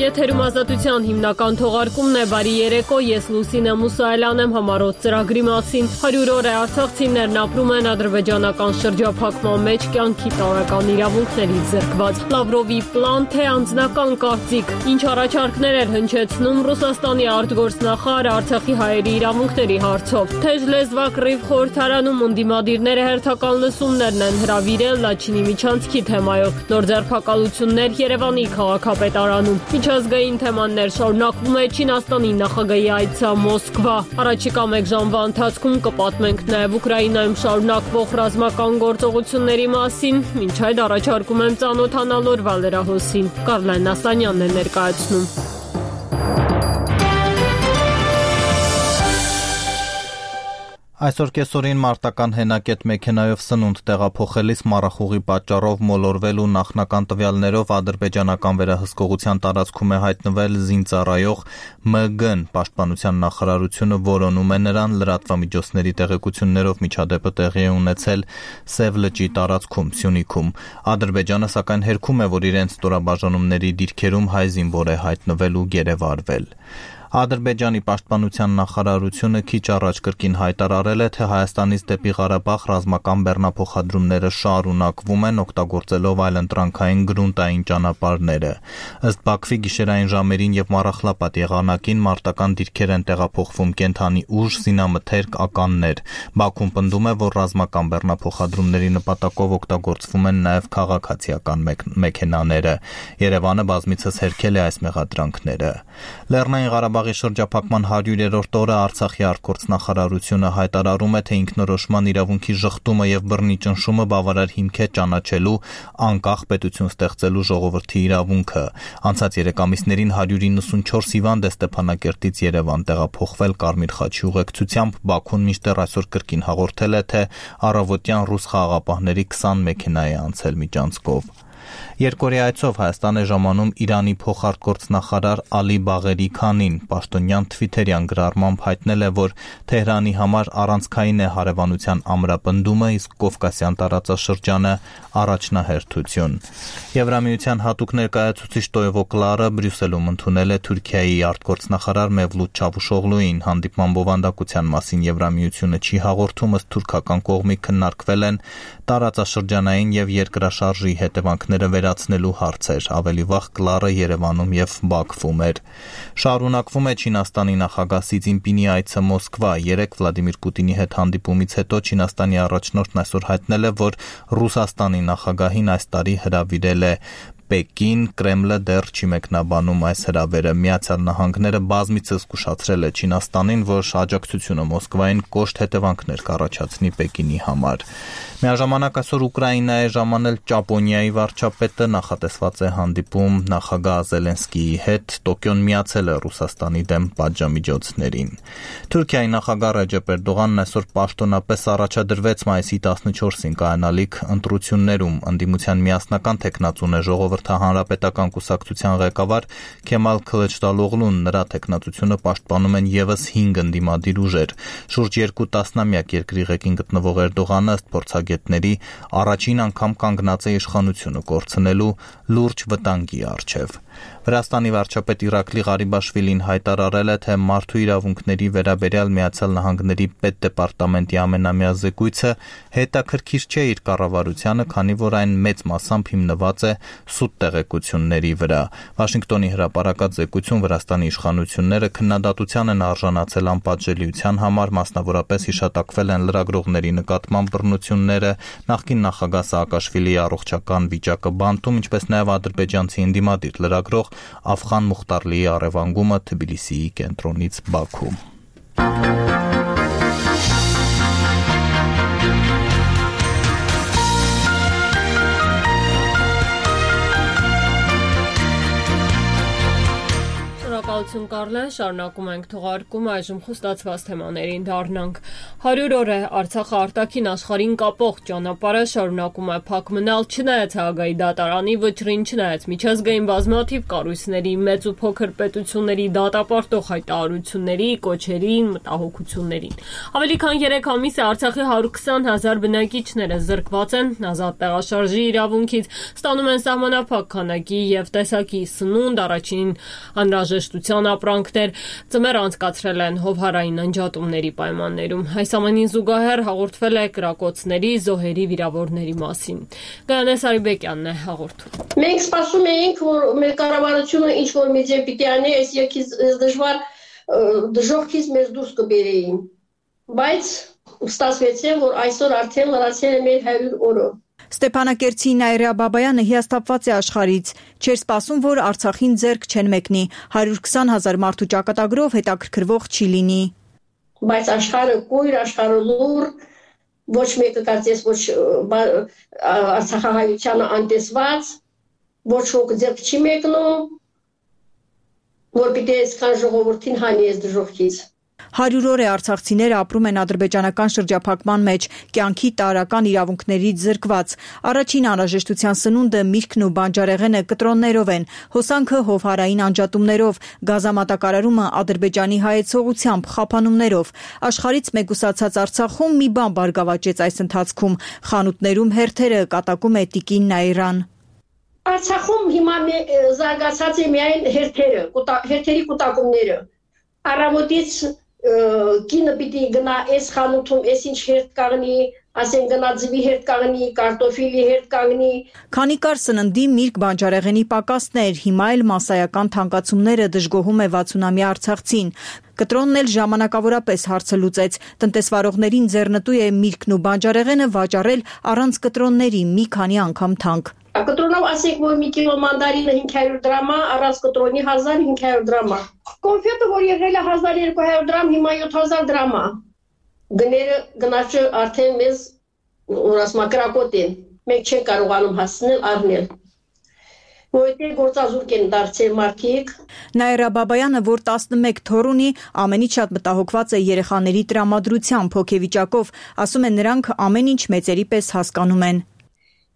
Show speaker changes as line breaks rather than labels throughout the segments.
Եթերում ազատության հիմնական թողարկումն է, բարի երեկո, ես Լուսինե Մուսայելյան եմ, համառոտ ծրագրի մասին։ 100 օր է արցախցիներն ապրում են ադրբեջանական շրջափակման մեջ, կյանքի տարրական իրավունքներից զրկված։ Լավրովի պլան, թե անձնական կարծիք, ինչ առաջարկներ էր հնչեցնում Ռուսաստանի արտգործնախարարը Արցախի հայերի իրավունքների հարցով։ Թեժ լեզվակ Ռիվ խորհրդարանում ընդդիմադիրները հերթական լսումներն են հրավիրել Լաչինի միջանցքի թեմայով։ Նոր ձեռքակալություններ Երևանի քաղաքապետարանում։ Միջազգային թեմաներ շարունակվում է Չինաստանի նախագահի այցը Մոսկվա։ Առաջիկա մեկ ժամվա ընթացքում կպատմենք նաև Ուկրաինայում շարունակվող ռազմական գործողությունների մասին։ Մինչ այդ առաջարկում եմ ծանոթանալ օրվա լրահոսին։ Կարլեն Ասանյանն է ներկայացնում։
Այսօր կեսօրին մարտական հենակետ մեքենայով սնունդ տեղափոխելիս մառախուղի պատճառով մոլորվել ու նախնական տվյալներով ադրբեջանական վերահսկողության տարածքում է հայտնվել զինծառայող ՄԳ-ն։ Պաշտպանության նախարարությունը որոնում է նրան, լրատվամիջոցների տեղեկություններով միջադեպը տեղի է ունեցել Սև լճի տարածքում, Սյունիքում։ Ադրբեջանը սակայն հերքում է, որ իրենց ստորաբաժանումների դիրքերում հայ զինվոր է հայտնվել ու գերեվարվել։ Ադրբեջանի պաշտպանության նախարարությունը քիչ առաջ կրկին հայտարարել է, թե Հայաստանից դեպի Ղարաբաղ ռազմական բեռնափոխադրումները շարունակվում են, օգտագործելով այլընտրանքային գրունտային ճանապարհները։ Ըստ Բաքվի գիշերային ժամերին եւ Մառախլապատ եղանակին մարտական դիրքեր են տեղափոխվում կենթանի ուժ, զինամթերք, ականներ։ Բաքուն պնդում է, որ ռազմական բեռնափոխադրումների նպատակով օգտագործվում են նաեւ քաղաքացիական մեքենաները։ Երևանը բազմիցս հերքել է այս մեղադրանքները։ Լեռնային Ղարաբաղի շրջափակման 100-րդ օրը Արցախի արտգործնախարարությունը հայտարարում է, թե ինքնորոշման իրավունքի ժխտումը եւ բռնի ճնշումը բավարար հիմք է ճանաչելու անկախ պետություն ստեղծելու ժողովրդի իրավունքը։ Անցած 3 ամիսներին 194 հիվանդ է Ստեփանակերտից Երևան տեղափոխվել Կարմիր խաչի ուղեկցությամբ։ Բաքուն մինչդեռ այսօր կրկին հաղորդել է, թե առավոտյան ռուս խաղաղապահների 20 մեքենա է անցել միջանցքով։ Երկօրյա այցով Հայաստան է ժամանում Իրանի փոխարտգործնախարար Ալի Բաղերի Քանին։ Պաշտոնյան թվիթերյան գրառմամբ հայտնել է, որ Թեհրանի համար առանցքային է հարևանության ամրապնդումը, իսկ Կովկասյան տարածաշրջանը առաջնահերթություն։ Եվրամիության հատուկ ներկայացուցիչ Տոևո Կլարը Բրյուսելում ընդունել է Թուրքիայի արտգործնախարար Մևլութ Չավուշօղլուին։ Հանդիպման բովանդակության մասին Եվրամիությունը չի հաղորդում, ըստ թուրքական կողմի քննարկվել են տարածաշրջանային եւ երկրաշարժի հետևանքները վերացնելու հարցեր։ Ավելի վաղ Կլարը Երևանում եւ Բաքվում էր։ Շարունակվում է Չինաստանի նախագահ Սի Ցզինպինի այցը Մոսկվա։ Երեկ Վլադիմիր Պուտինի հետ հանդիպումից հետո Չինաստանի առաջնորդն այսօր հայտնել է, որ Ռուսաստանի նախագահին այս տարի հրավիրել է Պեկին, Կրեմլը դեռ չի մեկնաբանում այս հրավերը։ Միացյալ Նահանգները բազմիցս զգուշացրել է Չինաստանին, որ աջակցությունը Մոսկվային կոշտ հետևանքներ կառաջացնի Պեկինի համար։ Միաժամանակ այսօր Ուկրաինա է ժամանել Ճապոնիայի վարչապետը, նախատեսված է հանդիպում նախագահ Զելենսկիի հետ։ Տոկիոն միացել է Ռուսաստանի դեմ պատժամիջոցներին։ Թուրքիայի նախագահ Ռեջեփ Էրդողանն այսօր պաշտոնապես առաջադրվեց մայիսի 14-ին կայանալիք ընտրություններում։ Ընդդիմության միասնական թեկնածուն է Հանրապետական կուսակցության ղեկավար Քեմալ Քլիչդարօղլուն, նրա թեկնածությունը պաշտպանում են եւս 5 ընդդիմադիր ուժեր։ Շուրջ 2 տասնամյակ երկրի ղեկին գտնվող Էրդողանը, ըստ փորձագետների, առաջին անգամ կանգնած է իշխանությունը կորցնելու լուրջ վտանգի առջև։ Վրաստանի վարչապետ Իրակլի Ղարիբաշվիլին հայտարարել է, թե մարդու իրավունքների վերաբերյալ Միացյալ Նահանգների պետդեպարտամենտի ամենամյա զեկույցը հետաքրքիր չէ իր կառավարությանը, քանի որ այն մեծ մասամբ հիմնված է սուտ տեղեկությունների վրա։ Վաշինգտոնի հրապարակած զեկույցում Վրաստանի իշխանությունները քննադատության են արժանացել անպատժելիության համար, մասնավորապես հիշատակվել են լրագրողների նկատմամբ բռնությունները, նախկին նախագահ Սաակաշվիլիի առողջական վիճակը բանտում, ինչպես նաև ադրբեջանցի ընդդիմադիր լրագրող Աֆղան Մուխտարլիի առևանգումը Թբիլիսիի կենտրոնից Բաքու։
Ողջույն Կարլեն, շարունակում ենք թողարկումը, այժմ խոստացված թեմաներին դառնանք։ 100 օր է Արցախը արտաքին աշխարհին կապող ճանապարհը շարունակում է փակ մնալ, չնայած Հաագայի դատարանի վճռին, չնայած միջազգային բազմաթիվ կառույցների, մեծ ու փոքր պետությունների դատապարտող հայտարարությունների, կոչերին, մտահոգություններին։ Ավելի քան 3 ամիս է Արցախի 120,000 բնակիչները զրկված են ազատ տեղաշարժի իրավունքից, ստանում են սահմանափակ քանակի եւ տեսակի սնունդ, առաջին անհրաժեշտության ապրանքներ, ծմեր անցկացրել են հովհարային անջատումների պայմաններում։ Այս ամենին զուգահեռ հաղորդվել է կրակոցների, զոհերի, վիրավորների մասին։ Գայանե Սարիբեկյանն է հաղորդում։
Մենք սպասում էինք, որ մեր կառավարությունը ինչ-որ մի ձև պիտի անի, այս եկից դժվար դժոխքից մեզ դուրս կբերեին։ Բայց ստացվեց, որ այսօր արդեն լրացել է մեր 100 օրը։
Ստեփանակերտի Նաիրա Բաբայանը հիասթափված է աշխարհից։ Չէր սպասում, որ Արցախին ձեռք չեն մեկնի։ 120,000 մարդու ճակատագրով հետաքրքրվող չի լինի։
Բայց աշխարհը կույր, աշխարհը լուր, ոչ մեկը կարծես ոչ արցախահայությանը անտեսված, ոչ ոք ձեռք չի մեկնում, որ պիտի այսքան ժողովրդին հանի այս դժոխքից։
100 օր է արցախցիները ապրում են ադրբեջանական շրջափակման մեջ, կյանքի տարրական իրավունքներից զրկված։ Առաջին անհրաժեշտության սնունդը, միրգն ու բանջարեղենը կտրոններով են, հոսանքը հովհարային անջատումներով, գազամատակարարումը Ադրբեջանի հայեցողությամբ, խափանումներով։ Աշխարհից մեկուսացած Արցախում մի բան բարգավաճեց այս ընթացքում։ Խանութներում հերթերը, կատակում է տիկին Նաիրան։
Արցախում հիմա զարգացած է միայն հերթերի կուտակումները։ Առավոտից կինը պիտի գնա այս խանութում, այս ինչ հերթ կաղնի, ասեն գնա ձվի հերթ կաղնի, կարտոֆիլի հերթ կաղնի։
Քանի կար սննդի, միրգ, բանջարեղենի պակասներ, հիմա էլ մասսայական թանկացումները դժգոհում է 60-ամյա արցախցին։ Կտրոնն էլ ժամանակավորապես հարցը լուծեց։ Տնտեսվարողներին ձեռնտու է միրգն ու բանջարեղենը վաճառել առանց կտրոնների մի քանի անգամ թանկ։
Կտրոնով ասենք, որ մի կիլո մանդարինը 500 դրամ է, առանց կտրոնի 1500 դրամ է։ Կոնֆետը, որ եղել է 1200 դրամ, հիմա 7000 դրամ է։ Գները գնաճը արդեն մեզ կրակոտ են։ Մենք չենք կարողանում հասնել առնել։ Որտեղ գործազուրկ են դարձել մարդիկ։
Նաիրա Բաբայանը, որ 11 թոռ ունի, ամենից շատ մտահոգված է երեխաների տրամադրությամբ, հոգեվիճակով, ասում է նրանք ամեն ինչ մեծերի պես հասկանում են։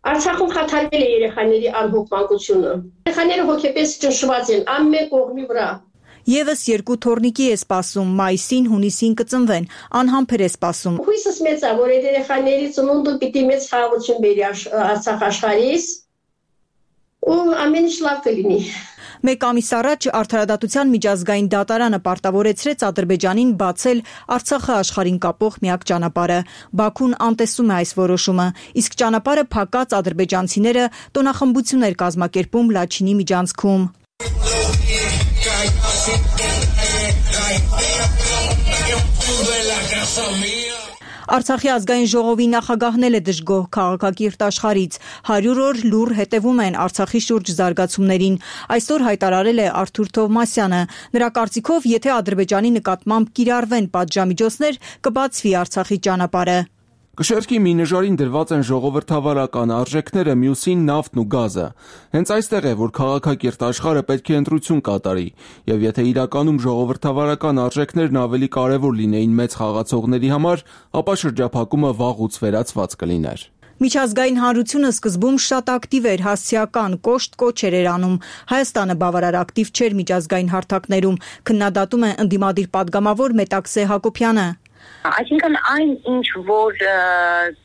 Արցախում խաթարվել է երեխաների անհոգմանկությունը։ Երեխաները հոգեպես ճնշված են ամեն կողմի վրա։
Եվս 2 թոռնիկի է սպասում, մայիսին, հունիսին կծնվեն, անհամբեր է սպասում։
Հույսս մեծ է, որ այդ երեխաների ծնունդը պիտի մեծ խաղաղություն բերի Արցախ աշխարհից, ու ամեն ինչ լավ կլինի։
Մեկ ամիս առաջ Արդարադատության միջազգային դատարանը պարտավորեցրեց Ադրբեջանին բացել Արցախը աշխարհին կապող միակ ճանապարհը։ Բաքուն անտեսում է այս որոշումը, իսկ ճանապարհը փակած ադրբեջանցիները տոնախմբություն էր կազմակերպում Լաչինի միջանցքում։ Արցախի ազգային ժողովի նախագահն էլ է դժգոհ քաղաքակիրթ աշխարհից։ 100 օր լուռ հետևում են Արցախի շուրջ զարգացումներին։ Այսօր հայտարարել է Արթուր Թովմասյանը։ Նրա կարծիքով, եթե Ադրբեջանի նկատմամբ կիրառվեն պատժամիջոցներ, կբացվի Արցախի ճանապարհը։
Կշեռքի մի նժարին դրված են ժողովրդավարական արժեքները, մյուսին նավթն ու գազը։ Հենց այստեղ է, որ քաղաքակիրթ աշխարհը պետք է ընտրություն կատարի, եւ եթե իրականում ժողովրդավարական արժեքներն ավելի կարեւոր լինեին մեծ խաղացողների համար, ապա շրջափակումը վաղուց վերացված կլիներ։
Միջազգային հանրությունը սկզբում շատ ակտիվ էր, հասցեական, կոշտ կոչեր էր անում։ Հայաստանը բավարար ակտիվ չէր միջազգային հարթակներում, քննադատում է ընդդիմադիր падգամավոր Մետաքսե Հակոբյանը։
Այսինքն այն ինչ որ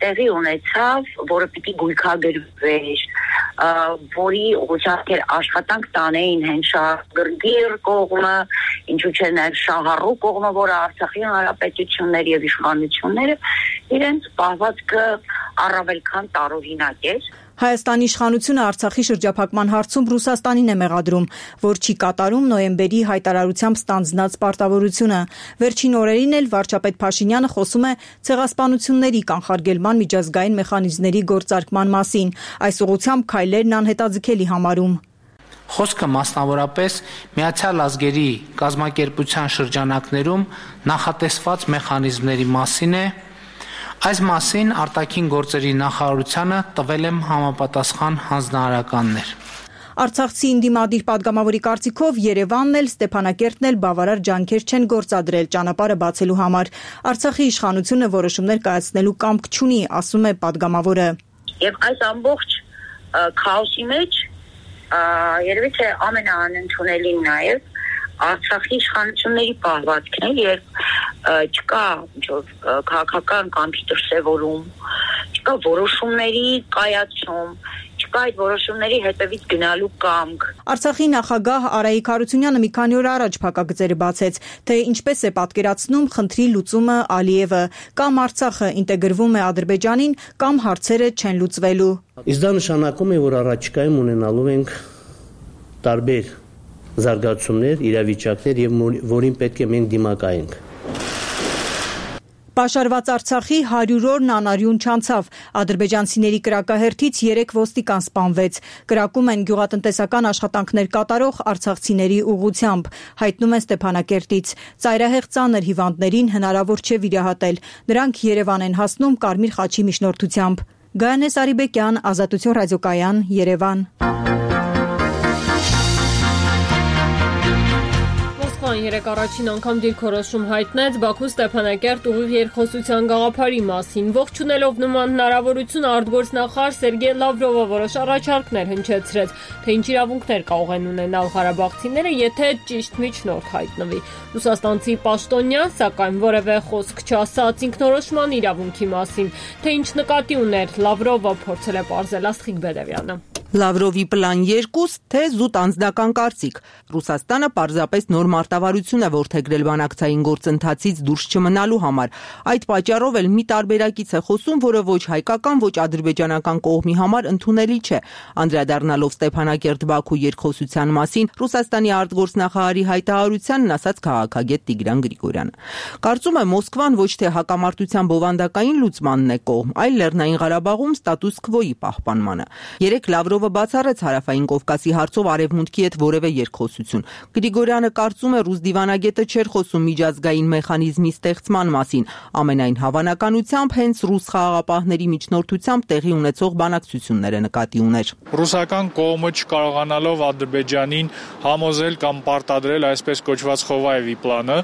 տեղի ունեցավ, որը պիտի գույքագրվեր, որի ուղղությամբ աշխատանք տանեին հենց շահագրգիռ կողմը, ինչու՞ չէ նաև շահառու կողմը, որը Արցախի հանրապետություններ եւ իշխանությունները իրենց պահվածքը առավել քան տարօրինակ էր։
Հայաստանի իշխանությունը Արցախի շրջափակման հարցում Ռուսաստանին է մեղադրում, որ չի կատարում նոյեմբերի հայտարարությամբ ստանձնած պարտավորությունը։ Վերջին օրերին էլ վարչապետ Փաշինյանը խոսում է ցեղասպանությունների կանխարգելման միջազգային մեխանիզմների գործարկման մասին։ Այս ուղղությամբ քայլերն անհետաձգելի համարում։
Խոսքը մասնավորապես Միացյալ Ազգերի կազմակերպության շրջանակներում նախատեսված մեխանիզմների մասին է։ Այս մասին արտաքին գործերի նախարարությանը տվել եմ համապատասխան հանձնարարականներ։
Արցախցի ընդդիմադիր պատգամավորի կարծիքով Երևանն էլ Ստեփանակերտն էլ բավարար ջանքեր չեն գործադրել ճանապարհը բացելու համար։ Արցախի իշխանությունը որոշումներ կայացնելու կամք չունի, ասում է պատգամավորը։
Եվ այս ամբողջ քաոսի մեջ երևի թե ամենաանընդունելին նաև Արցախի իշխանությունների պահվածքն է, երբ չկա քաղաքական կամքի դրսևորում, չկա որոշումների կայացում, չկա այդ որոշումների հետևից գնալու կամք։
Արցախի նախագահ Արայիկ Հարությունյանը մի քանի օր առաջ փակագծերը բացեց, թե ինչպես է պատկերացնում խնդրի լուծումը Ալիևը, կամ Արցախը ինտեգրվում է Ադրբեջանին, կամ հարցերը չեն լուծվելու։
Իսկ դա նշանակում է, որ առաջիկայում ունենալու ենք տարբեր զարգացումներ, իրավիճակներ եւ որին պետք է մենք դիմակայենք։
Պաշարված Արցախի 100 օրն անարյուն չանցավ։ Ադրբեջանցիների կրակահերթից 3 ոստիկան սպանվեց։ Կրակում են գյուղատնտեսական աշխատանքներ կատարող արցախցիների ուղղությամբ, հայտնում են Ստեփանակերտից։ Ծայրահեղ ծանր հիվանդներին հնարավոր չէ վիրահատել։ Նրանք Երևան են հասնում Կարմիր խաչի միջնորդությամբ։ Գայանե Սարիբեկյան, Ազատություն ռադիոկայան, Երևան։
Երեք առաջին անգամ դիրքորոշում հայտնեց Բաքու Ստեփանակերտ ուղիղ երկխոսության գաղափարի մասին։ Ողջունելով նման հնարավորություն արտգործնախարար Սերգեյ Լավրովը որոշ առաջարկներ հնչեցրեց, թե ինչ իրավունքներ կարող են ունենալ ղարաբաղցիները, եթե ճիշտ միջնորդ հայտնվի։ Ռուսաստանցի պաշտոնյան, սակայն որևէ խոսք չասաց ինքնորոշման իրավունքի մասին, թե ինչ նկատի ուներ Լավրովը, փորձել է պարզել Աստղիկ Բեդևյանը։
Լավրովի պլան 2, թե զուտ անձնական կարծիք։ Ռուսաստանը պարզապես նոր մարտավարություն է որդեգրել բանակցային գործընթացից դուրս չմնալու համար։ Այդ պատճառով էլ մի տարբերակից է խոսում, որը ոչ հայկական, ոչ ադրբեջանական կողմի համար ընդունելի չէ։ Անդրադառնալով Ստեփանակերտ-Բաքու երկխոսության մասին Ռուսաստանի արտգործնախարարի հայտարարությանն ասաց քաղաքագետ Տիգրան Գրիգորյանը։ Կարծում է Մոսկվան ոչ թե հակամարտության բովանդակային լուծմանն է կողմ, այլ Լեռնային Ղարաբաղում ստատուս քվոյի պահպանմանը։ Երեք Լավրովը բացառեց Հարավային Կովկասի հարցով Արևմուտքի հետ որևէ երկխոսություն։ Գրիգորյանը կարծում է ռուս դիվանագետը չէր խոսում միջազգային մեխանիզմի ստեղծման մասին, ամենայն հավանականությամբ հենց ռուս խաղաղապահների միջնորդությամբ տեղի ունեցող բանակցությունները նկատի ուներ։
Ռուսական կողմը չկարողանալով Ադրբեջանին համոզել կամ պարտադրել այսպես կոչված Խովայևի պլանը,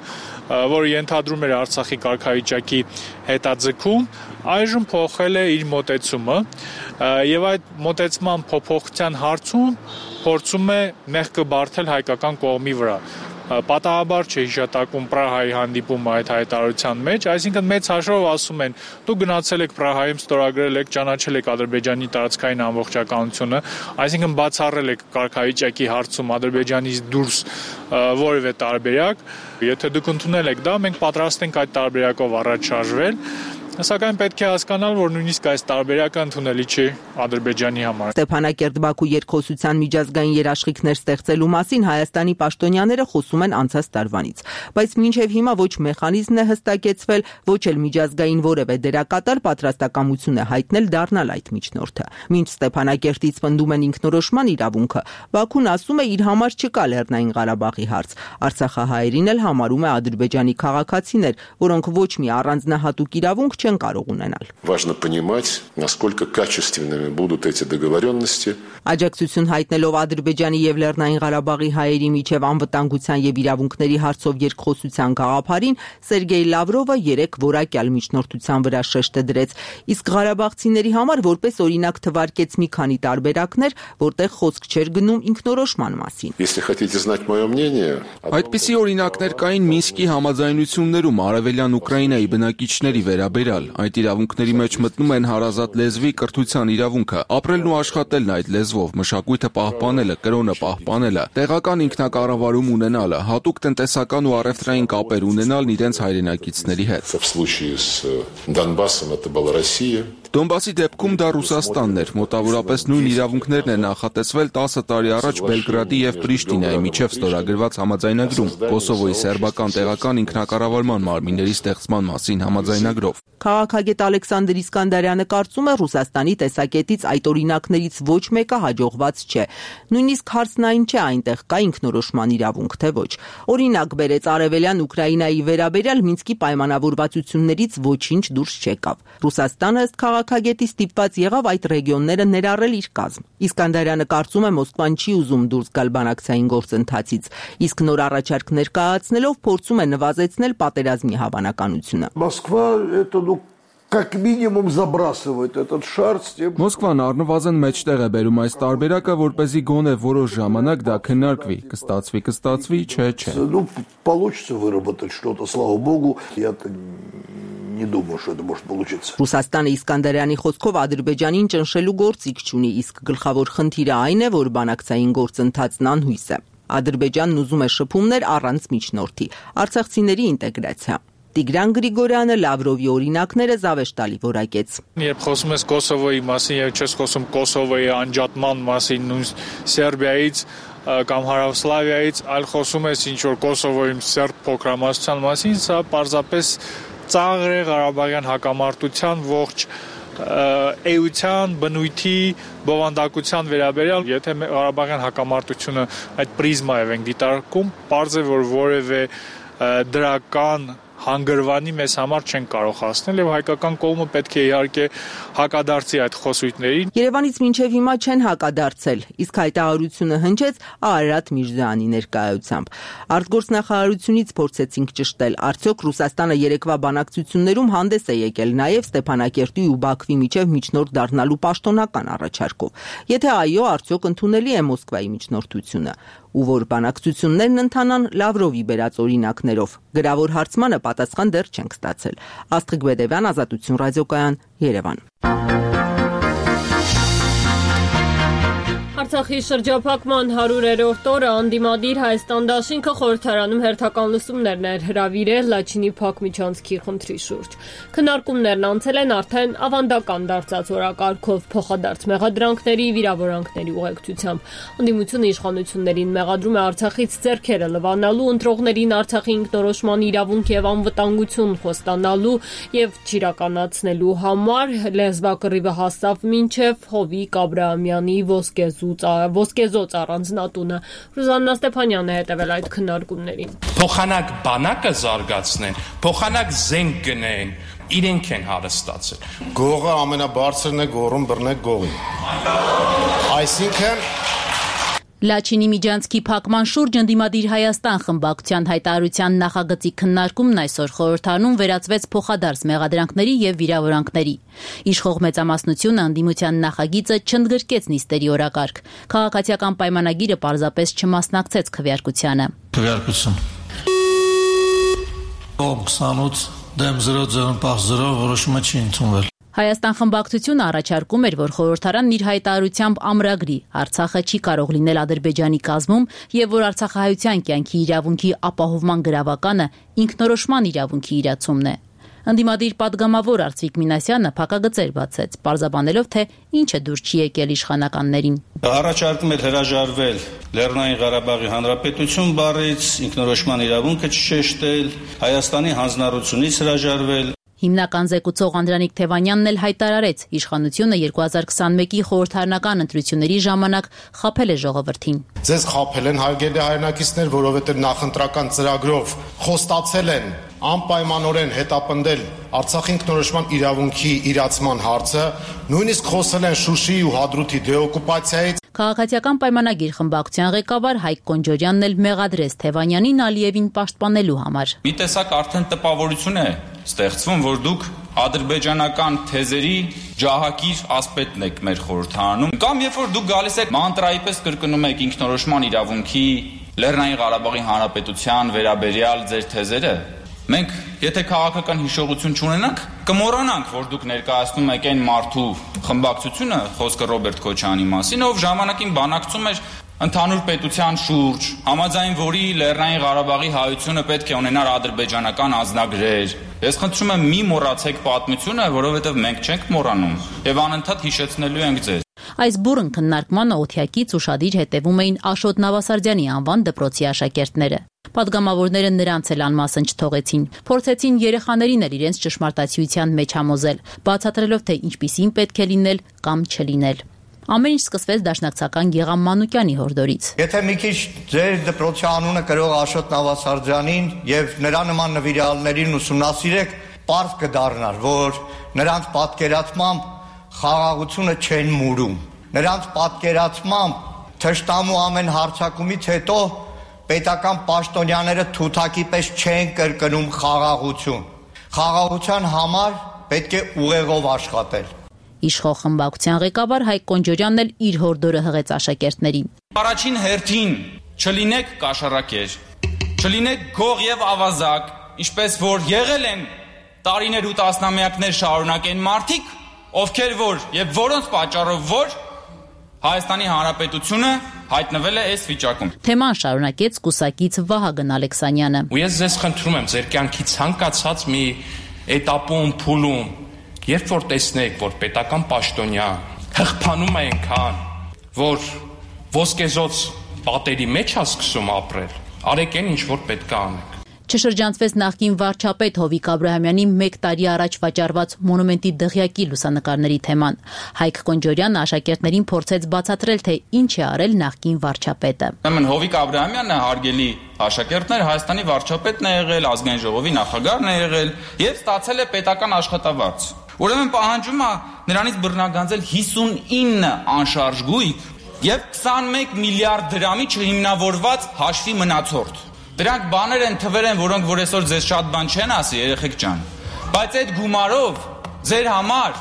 որը ենթադրում էր Արցախի կարգավիճակի հետաձգում, այժմ փոխել է իր մոտեցումը եւ այդ մոտեցման փոփոխության հարցում փորձում է մեղքը բարթել հայկական կողմի վրա։ Պատահաբար չէ հիշատակում Պրահայի հանդիպումը այդ հայտարարության մեջ, այսինքն մեծ հաշվով ասում են, դուք գնացել եք Պրահայում, ստորագրել եք, ճանաչել եք Ադրբեջանի տարածքային ամբողջականությունը, այսինքն բացառել եք կարգավիճակի հարցում Ադրբեջանից դուրս որևէ տարբերակ, եթե դուք ընդունել եք դա, մենք պատրաստ ենք այդ տարբերակով առաջ շարժվել։ Սակայն պետք է հասկանալ, որ նույնիսկ այս տարբերակը ընդունելի չի Ադրբեջանի համար։
Ստեփանակերտ-Բաքու երկխոսության միջազգային երաշխիքներ ստեղծելու մասին Հայաստանի պաշտոնյաները խոսում են անցած տարվանից, բայց մինչև հիմա ոչ մեխանիզմն է հստակեցվել, ոչ էլ միջազգային որևէ դերակատար պատրաստակամություն է հայտնել դառնալ այդ միջնորդը։ Մինչ Ստեփանակերտից պնդում են ինքնորոշման իրավունքը, Բաքուն ասում է իր համար չկա Լեռնային Ղարաբաղի հարց։ Արցախահայերին էլ համարում է Ադրբեջանի քաղաքացիներ, որոնք ոչ մի առանձնահատուկ իրավունք չեն կարող ունենալ։
Важно понимать, насколько качественными будут эти договоренности.
Աջակցություն հայտնելով Ադրբեջանի եւ Լեռնային Ղարաբաղի հայերի միջև անվտանգության եւ իրավունքների հարցով երկխոսության գաղափարին Սերգեյ Լավրովը 3 որակյալ միջնորդության վրա շեշտը դրեց, իսկ ղարաբաղցիների համար որպես օրինակ թվարկեց մի քանի տարբերակներ, որտեղ խոսք չէր գնում ինքնորոշման մասին։
Если хотите знать моё мнение,
Այդպիսի օրինակներ կային Մինսկի համաձայնություններում արևելյան Ուկրաինայի բնակիչների վերաբերյալ։ Այդ իրավունքների մեջ մտնում են հարազատ լեզվի կրթության իրավունքը, ապրելն ու աշխատելն այդ լեզվով, մշակույթը պահպանելը, կրոնը պահպանելը, տեղական ինքնակառավարում ունենալը, հատուկ տնտեսական ու առևտրային կապեր ունենալն իրենց հայրենակիցների հետ։
в случае с Донбассом это была Россия.
Դոնբասի դեպքում դա Ռուսաստանն էր, մոտավորապես նույն իրավունքներն են նախատեսվել 10 տարի առաջ Բելգրադի եւ Պրիշտինայի միջև ստորագրված համաձայնագրում, Կոսովոյի սերբական տեղական ինքնակառավարման մարմինների ստեղծման մասին համաձայնագրով։
Քաղաքագետ Ալեքսանդր Իսկանդարյանը կարծում է Ռուսաստանի տեսակետից այդ օրինակներից ոչ մեկը հաջողված չէ։ Նույնիսկ հարցն այն չէ այնտեղ կա ինքնորոշման իրավունք, թե ոչ։ Օրինակ բերեց արևելյան Ուկրաինայի վերաբերյալ Մինսկի պայմանավորվածություններից ոչինչ դուրս չեկավ։ Ռուսաստանը ըստ քաղաքագետի ստիպված եղավ այդ ռեգիոնները ներառել իր կազմ։ Իսկանդարյանը կարծում է Մոսկվան չի ուզում դուրս գալ բանակցային գործընթացից, իսկ նոր առաջարկ ներկայացնելով փորձում է նվազեցնել պատերազմի հավանականությունը։
Как минимум забрасывает этот шар с тем...
Մոսկվան առնվազն մեջտեղ է բերում այս տարբերակը, որպեսզի գոնե որոշ ժամանակ դա քննարկվի, կստացվի, չէ։
Ну, получится выработать что-то, слава богу. Я-то не думаю, что это может получиться.
Ռուսաստանը Իսկանդարյանի խոսքով Ադրբեջանին ճնշելու գործիք չունի, իսկ գլխավոր խնդիրը այն է, որ բանակցային գործընթացն անհույս է։ Ադրբեջանն ուզում է շփումներ առանց միջնորդի, արցախցիների ինտեգրացիա։ Տիգրան Գրիգորյանը Լավրովի օրինակները զավեշտալի որակեց։
Երբ խոսում ես Կոսովոյի մասին եւ չես խոսում Կոսովոյի անջատման մասին, նույն Սերբիայից կամ Հարավսլավիայից, այլ խոսում ես ինչ որ Կոսովոյի սերբ փոքրամասնության մասին, սա պարզապես ծաղր է Ղարաբաղյան հակամարտության ողջ էության, բնույթի, բովանդակության վերաբերյալ, եթե Ղարաբաղյան հակամարտությունը այդ պրիզմայով ենք դիտարկում, պարզ է որ որևէ դրական հանգրվանի մեզ համար չեն կարող հասնել եւ հայկական կողմը պետք է իհարկե հակադարձի այդ խոսույթներին։
Երևանից մինչև հիմա չեն հակադարձել, իսկ հայտարարությունը հնչեց Արարատ Միրզոյանի ներկայությամբ։ Արտգործնախարարությունից փորձեցինք ճշտել, արդյոք Ռուսաստանը երեկվա բանակցություններում հանդես է եկել նաեւ Ստեփանակերտի ու Բաքվի միջև միջնորդ դառնալու պաշտոնական առաջարկով։ Եթե այո, արդյոք ընդունելի է Մոսկվայի միջնորդությունը։ Ու որ բանակցություններն ընթանան Լավրովի բերած օրինակներով։ Գրավոր հարցմանը պատասխան դեռ չենք ստացել։ Աստղիկ Բեդևյան, Ազատություն ռադիոկայան, Երևան։
Արցախի շրջափակման 100-րդ օրը անդիմադիր Հայաստան դաշինքը խորհրդարանում հերթական լսումներն էր հրավիրել Լաչինի Փակ միջանցքի խնդրի շուրջ։ Քննարկումներն անցել են արդեն ավանդական դարձած օրակարգով փոխադարձ մեղադրանքների, վիրավորանքների ուղեկցությամբ։ Անդիմությունը իշխանություններին մեղադրում է Արցախից ձեռքերը լվանալու, ընտրողներին Արցախի ինքնորոշման իրավունք եւ անվտանգություն խոստանալու եւ չիրականացնելու համար լեզվակռիվը հասավ մինչեւ Հովիկ Աբրահամյանի ոսկեզոծ առանձնատունը։ Ռուզաննա Ստեփանյանն է հետևել այդ քննարկումներին։
Փոխանակ բանակը զարգացնեն, փոխանակ զենք գնեն, իրենք են հարստացել։
Գողը ամենաբարձրն է գողում բռնեք գողին։ Այսինքն
Լաչինի միջանցքի փակման շուրջ ընդդիմադիր Հայաստան խմբակցության հայտարարության նախագծի քննարկումն այսօր խորհրդարանում վերածվեց փոխադարձ մեղադրանքների եւ վիրավորանքների։ Իշխող մեծամասնությունը ընդդիմության նախագիծը չընդգրկեց նիստերի օրակարգ։ Քաղաքացիական պայմանագիրը պարզապես չմասնակցեց քվեարկությանը։
Քվեարկություն 28 դեմ 0 որոշումը չի ընդունվել։
Հայաստան խմբակցությունը առաջարկում էր, որ խորհրդարանն իր հայտարարությամբ ամրագրի Արցախը չի կարող լինել Ադրբեջանի կազմում եւ որ արցախահայության կյանքի իրավունքի ապահովման գրավականը ինքնորոշման իրավունքի իրացումն է։ Ընդդիմադիր падգամավոր Արծվիկ Մինասյանը փակագծեր բացեց, պարզաբանելով, թե ինչը դուր չի եկել իշխանականներին։
Առաջարկում էր հրաժարվել Լեռնային Ղարաբաղի Հանրապետություն բառից, ինքնորոշման իրավունքը չշեշտել, Հայաստանի հանձնառությունից հրաժարվել։
Հիմնական զեկուցող Անդրանիկ Թևանյանն էլ հայտարարեց, իշխանությունը 2021-ի խորհրդարանական ընտրությունների ժամանակ խաբել է ժողովրդին։
Ձեզ խաբել են հարգելի հայրենակիցներ, որովհետև նախընտրական ծրագրով խոստացել են անպայմանորեն հետապնդել Արցախի ինքնորոշման իրավունքի իրացման հարցը, նույնիսկ խոսել են Շուշիի ու Հադրութի դեօկուպացիայից։
Քաղաքացիական պայմանագիր խմբակցության ղեկավար Հայկ Կոնջորյանն էլ մեղադրեց Թևանյանին Ալիևին պաշտպանելու համար։
Մի տեսակ արդեն տպավորություն է ստեղծվում, որ դուք ադրբեջանական թեզերի ջահակիր ասպետն եք մեր խորհրդարանում, կամ երբ որ դուք գալիս եք մանտրայի պես կրկնում եք ինքնորոշման իրավունքի, Լեռնային Ղարաբաղի Հանրապետության վերաբերյալ ձեր թեզերը, մենք եթե քաղաքական հիշողություն չունենանք, կմոռանանք, որ դուք ներկայացնում եք այն մարդու խմբակցությունը, խոսքը Ռոբերտ Քոչարյանի մասին, ով ժամանակին բանակցում էր ընդհանուր պետության շուրջ, համաձայն որի Լեռնային Ղարաբաղի հայությունը պետք է ունենար ադրբեջանական անձնագրեր։ Ես խնդրում եմ մի մոռացեք պատմությունը, որովհետև մենք չենք մոռանում եւ անընդհատ հիշեցնելու ենք ձեզ։
Այս բուրըն քննարկմանը օթյակից ուշադիր հետևում էին Աշոտ Նավասարդյանի անվան դպրոցի աշակերտները։ Պատգամավորները նրանց էլ անմասն չթողեցին, փորձեցին երեխաներին էլ իրենց ճշմարտացիության մեջ համոզել, բացատրելով, թե ինչպիսին պետք է լինել կամ չլինել։ Ամեն ինչ սկսվեց Դաշնակցական Գեգամ Մանուկյանի հորդորից։
Եթե մի քիչ ձեր դպրոցի անունը կրող Աշոտ Նավասարդյանին եւ նրա նման նվիրալներին ուսումնասիրեք, պարզ կդառնար, որ նրանց պատկերացմամբ խաղաղությունը չեն մուրում։ Նրանց պատկերացմամբ թշնամու ամեն հարձակումից հետո պետական պաշտոնյաները թութակի պես չեն կրկնում խաղաղություն։ Խաղաղության համար պետք է ուղեղով աշխատել։
Իշխող խմբակցության ղեկավար Հայկ Կոնջորյանն էլ իր հորդորը հղեց աշակերտներին։
Առաջին հերթին չլինեք կաշառակեր, չլինեք գող եւ ավազակ, ինչպես որ եղել են տարիներ ու տասնամյակներ շարունակ են մարդիկ, ովքեր որ եւ որոնց պատճառով որ Հայաստանի Հանրապետությունը հայտնվել է այս վիճակում։
Թեման շարունակեց կուսակից Վահագն Ալեքսանյանը։
Ու ես ձեզ խնդրում եմ ձեր կյանքի ցանկացած մի էտապում, փուլում, երբ որ տեսնեք, որ պետական պաշտոնյա հղփանում է այնքան, որ ոսկեզոծ պատերի մեջ է սկսում ապրել, արեք այն, ինչ որ պետք է անեք։
Չշրջանցվեց նախկին վարչապետ Հովիկ Աբրահամյանի 1 տարի առաջ վաճառված մոնումենտի դղյակի լուսանկարների թեման։ Հայկ Կոնջորյանը աշակերտներին փորձեց բացատրել, թե ինչ է արել նախկին վարչապետը։
Ուրեմն Հովիկ Աբրահամյանը հարգելի աշակերտներ Հայաստանի վարչապետն է եղել, ազգային ժողովի նախագահն է եղել եւ ստացել է պետական աշխատավարձ։ Ուրեմն պահանջում է նրանից բռնագանձել 59 անշարժ գույք եւ 21 միլիարդ դրամի չհիմնավորված հաշվի մնացորդ։ Դրանք բաներ են, թվեր են, որոնք որ այսօր ձեզ շատ բան չեն ասի, երեխեք ջան։ Բայց այդ գումարով ձեր համար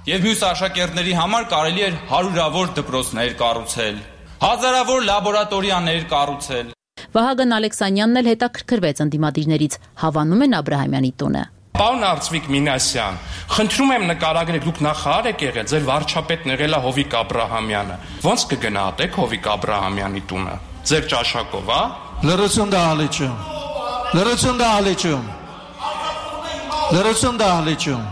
եւ մյուս աշակերտների համար կարելի էր հարյուրավոր դպրոցներ կառուցել, հազարավոր լաբորատորիաներ կառուցել։
Վահագն Ալեքսանյանն էլ հետաքրքրվեց ընդդիմադիրներից, հավանում են Աբրահամյանի տունը։
Պարոն Արծվիկ Մինասյան, խնդրում եմ նկարագրեք, դուք նախարար եք եղել, ձեր վարչապետն եղել է Հովիկ Աբրահամյանը։ Ոնց կգնահատեք Հովիկ Աբրահամյանի տունը։ Ձեր ճաշակով, հա։
Լրություն դահլիճում։ Լրություն դահլիճում։ Լրություն դահլիճում։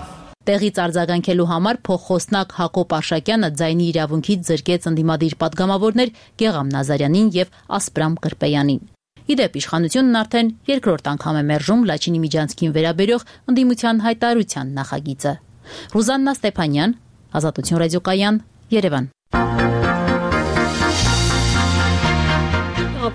Տեղից արձագանքելու համար փոխխոսնակ Հակոբ Արշակյանը ձայնի իրավունքից զրկեց ընդդիմադիր պատգամավորներ Գեղամ Նազարյանին եւ Ասպրամ Կրպեյանին։ Իդեպ իշխանությունն արդեն երկրորդ անգամ է մերժում Լաչինի Միջանցքին վերաբերող ընդդիմության հայտարարության նախագիծը։ Ռուզաննա Ստեփանյան, Ազատություն ռադիոկայան, Երևան։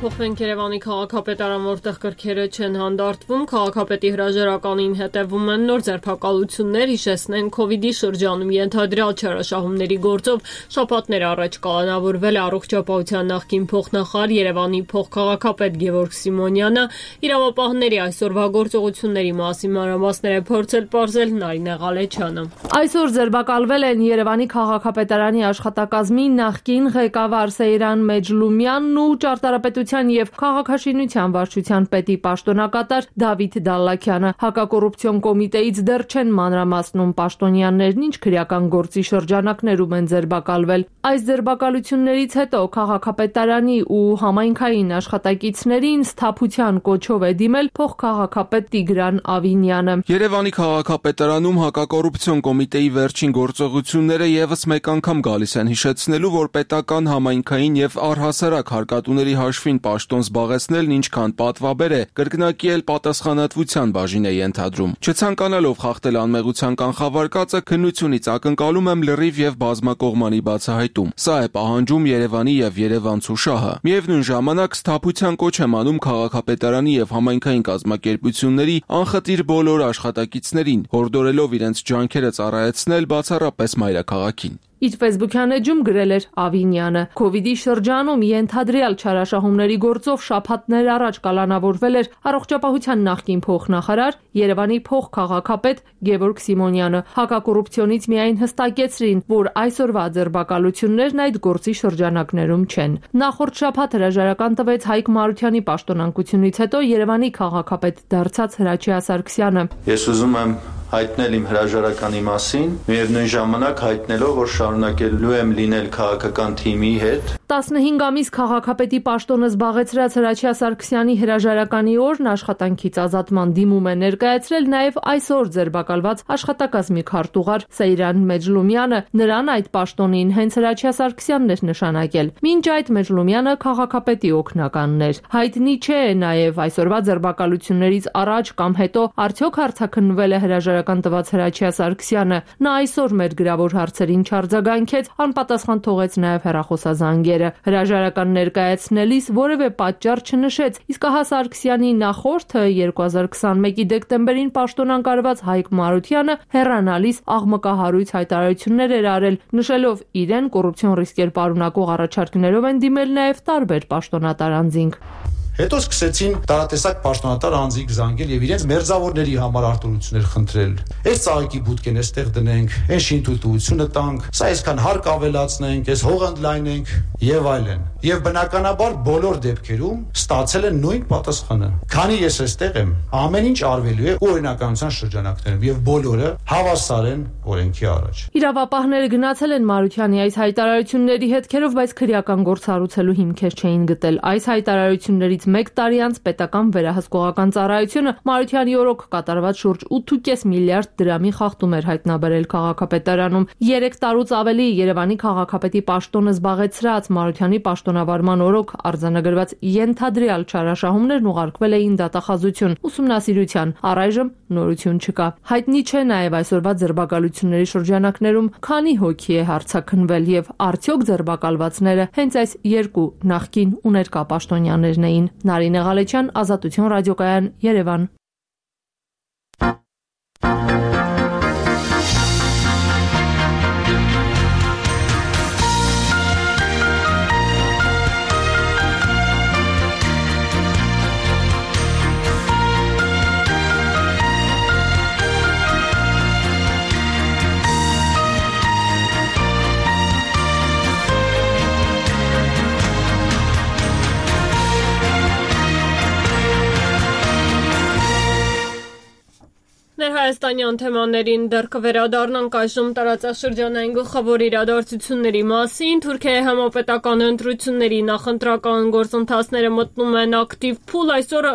Փոխվենք Երևանի քաղաքապետարան, որտեղ կրքերը չեն հանդարտվում, քաղաքապետի հրաժարականին հետևում են նոր ձերբակալություններ, հիշեցնեն Քովիդի շրջանում ենթադրյալ չարաշահումների գործով շաբաթներ առաջ կալանավորվել է առողջապահության նախկին փոխնախարար Երևանի փոխքաղաքապետ Գևորգ Սիմոնյանը, իրավապահների այսօրվա գործողությունների մասին մանրամասներ է փորձել պարզել Նարինե Ղալեչյանը։
Այսօր ձերբակալվել են Երևանի քաղաքապետարանի աշխատակազմի նախկին ղեկավար Սեյրան Մեջլումյանն ու ճարտարապետության եւ քաղաքաշինության վարչության պետի պաշտոնակատար Դավիթ Դալլաքյանը։ Հակակոռուպցիոն կոմիտեից դեռ չեն մանրամասնում պաշտոնյաներն ինչ քրեական գործի շրջանակներում են ձերբակալվել։ Այս ձերբակալություններից հետո քաղաքապետարանի ու համայնքային աշխատակիցներին սթափության կոչով է դիմել փոխքաղաքապետ Տիգրան Ավինյանը։
Երևանի քաղաքապետարանում հակակոռուպցիոն կոմիտեի վերջին գործողությունները եւս մեկ անգամ գալիս են հիշեցնելու, որ պետական համայնքային եւ առհասարակ հարկատուների հաշվին պաշտոն զբաղեցնելն ինչքան պատվաբեր է, կրկնակի էլ պատասխանատվության բաժին է ենթադրում։ Չցանկանալով խախտել անմեղության կանխավարկածը, քննությունից ակնկալում եմ լրիվ եւ բազմակողմանի բացահայտում։ Սա է պահանջում Երևանի եւ երևանցու շահը։ Միևնույն ժամանակ սթափության կոչ եմ անում քաղաքապետարանի եւ համայնքային կազմակերպությունների անխտիր բոլոր աշխատակիցներին, հորդորելով իրենց ջանքերը ծառայեցնել բացառապես մայրաքաղաքին։
Իր Facebook-յան էջում գրել էր Ավինյանը. Քովիդի շրջանում ենթադրյալ չարաշահումների գործով շաբաթներ առաջ կալանավորվել էր առողջապահության նախկին փոխնախարար Երևանի փոխքաղաքապետ Գևորգ Սիմոնյանը։ Հակակոռուպցիոնից միայն հստակեցրին, որ այսօրվա ձերբակալություններն այդ գործի շրջանակներում չեն։ Նախորդ շաբաթ հրաժարական տվեց Հայկ Մարությանի պաշտոնակությունից հետո Երևանի քաղաքապետ դարձած Հրաչյա Սարգսյանը։
Ես ուզում եմ հայտնել իմ հրաժարականի մասին, միևնույն ժամանակ հայտնելով, որ շարունակելու եմ լինել քաղաքական թիմի հետ։
15 ամիս քաղաքապետի պաշտոնը զբաղեցրած Հրաչյա Սարգսյանի հրաժարականի օրն աշխատանքից ազատման դիմում է ներկայացրել նաև այսօր ձերբակալված աշխատակազմի քարտուղար Սեյրան Մեջլումյանը։ Նրան այդ պաշտոնին հենց Հրաչյա Սարգսյանն էր նշանակել։ Մինչ այդ Մեջլումյանը քաղաքապետի օգնականն էր։ Հայտնի չէ նաև այսօրվա ձերբակալություններից առաջ կամ հետո արդյոք հարցաքննվել է հրաժարական տված Հրաչյա Սարգսյանը։ Նա այսօր մեր գրավոր հարցերին չարձագանքեց, անպատասխան թողեց նաև հեռախոսազանգերը։ Հրաժարական ներկայացնելիս որևէ պատճառ չնշեց, իսկ ահա Սարգսյանի նախորդը 2021-ի դեկտեմբերին պաշտոնանկարված Հայկ Մարությանը հեռանալիս աղմկահարույց հայտարարություններ էր արել, նշելով իրեն կոռուպցիոն ռիսկեր պարունակող առաջարկներով են դիմել նաև տարբեր պաշտոնատար անձինք։
Հետո սկսեցին տարատեսակ պաշտոնատար անձինք զանգել եւ իրենց մերձավորների համար արտոնություններ խնդրել։ Այս ծաղիկի բուտկեն էստեղ դնենք, այս շինթույլտվությունը տանք, սա այսքան հարկ ավելացնենք, այս հողը ընդլայնենք եւ այլն։ Եվ բնականաբար բոլոր դեպքերում ստացել են նույն պատասխանը։ Քանի ես այստեղ եմ, ամեն ինչ արվելու է օրինականության շրջանակներում եւ բոլորը հավասար են օրենքի առաջ։
Իրավապահները գնացել են Մարությանի այս հայտարարությունների հետքերով, բայց քրեական գործ հարուցելու հիմքեր չէին գտել։ Այս հայտարարություններից մեկ տարի անց պետական վերահսկողական ծառայությունը Մարությանի օրոք կատարված շուրջ 8.5 միլիարդ դրամի խախտում էր հայտնաբերել քաղաքապետարանում։ 3 տարուց ավելի Երևանի քաղաքապետի պաշտոնը զբաղեցրած Մարությանի պաշտոնավարման օրոք արձանագրված ենթադրյալ չարաշահումներն ուղարկվել էին դատախազություն ուսումնասիրության։ Առայժմ նորություն չկա։ Հայտնի չէ նաև այսօրվա ձերբակալությունների շրջանակներում քանի հոգի է հարձակնվել եւ արդյոք ձերբակալվածները հենց այս երկու նախկին ու ներկա պաշտոնյաներն էին։ Նարինե Ղալեչյան, Ազատություն ռադիոկայան, Երևան։
Հայաստանյան թեմաներին դեռ կվերադառնանք այժմ տարածաշրջանային գլխավոր իրադարձությունների մասին։ Թուրքիայի համապետական ընտրությունների նախընտրական գործընթացները մտնում են ակտիվ փուլ։ Այսօր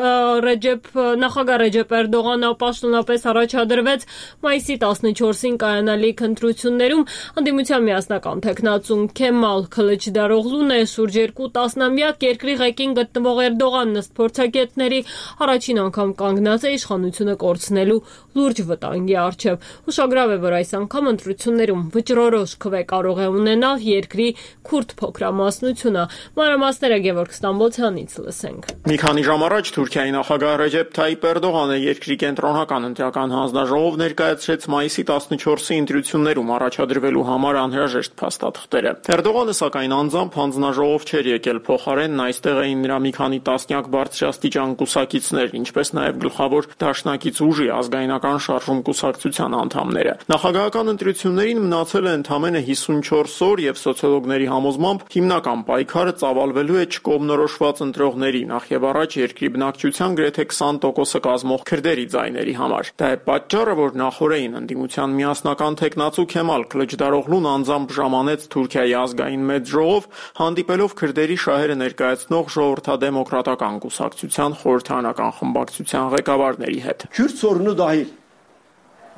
նախագահ Ռեջեփ Էրդողանը պաշտոնապես առաջադրվեց մայիսի 14-ին կայանալիք ընտրություններում։ Անդիմության միասնական թեկնածուն Քեմալ Քլիչդարօղլուն է շուրջ 2 տասնամյակ երկրի ղեկին գտնվող Էրդողանն ըստ փորձագետների առաջին անգամ կանգնած է իշխանությունը կորցնելու լուրջ վտանգի առջև։ Ուշագրավ է, որ այս անգամ ընտրություններում վճռորոշ քվե կարող է ունենալ երկրի քուրդ փոքրամասնությունը։ Մանրամասները Գևորգ Ստամբոլցյանից լսենք։
Մի քանի ժամ առաջ Թուրքիայի նախագահ Ռեջեփ Թայիփ Էրդողանը երկրի կենտրոնական ընտրական հանձնաժողով ներկայացրեց մայիսի 14-ի ընտրություններում առաջադրվելու համար անհրաժեշտ փաստաթղթերը։ Էրդողանը սակայն անձամբ հանձնաժողով չէր եկել, փոխարենն այստեղ էին նրա մի քանի տասնյակ բարձրաստիճան կուսակիցներ, ինչպես նաև գլխավոր դաշնակից ուժի ազգայնական շարժում կուսակցության անդամները։ Նախագահական ընտրություններին մնացել է ընդամենը 54 օր եւ սոցիոլոգների համոզմամբ հիմնական պայքարը ծավալվելու է չկողմնորոշված ընտրողների, նախ եւ առաջ երկրի բնակչության գրեթե 20%-ը կազմող քրդերի ձայների համար։ Դա է պատճառը, որ նախորդին ընդդիմության միասնական թեկնածու Քեմալ Քլիչդարօղլուն անձամբ ժամանեց Թուրքիայի ազգային մեծ ժողով, հանդիպելով քրդերի շահերը ներկայացնող ժողովրդադեմոկրատական կուսակցության խորհրդարանական խմբակցության ղեկավարների հետ։
Kürt sorunu dahil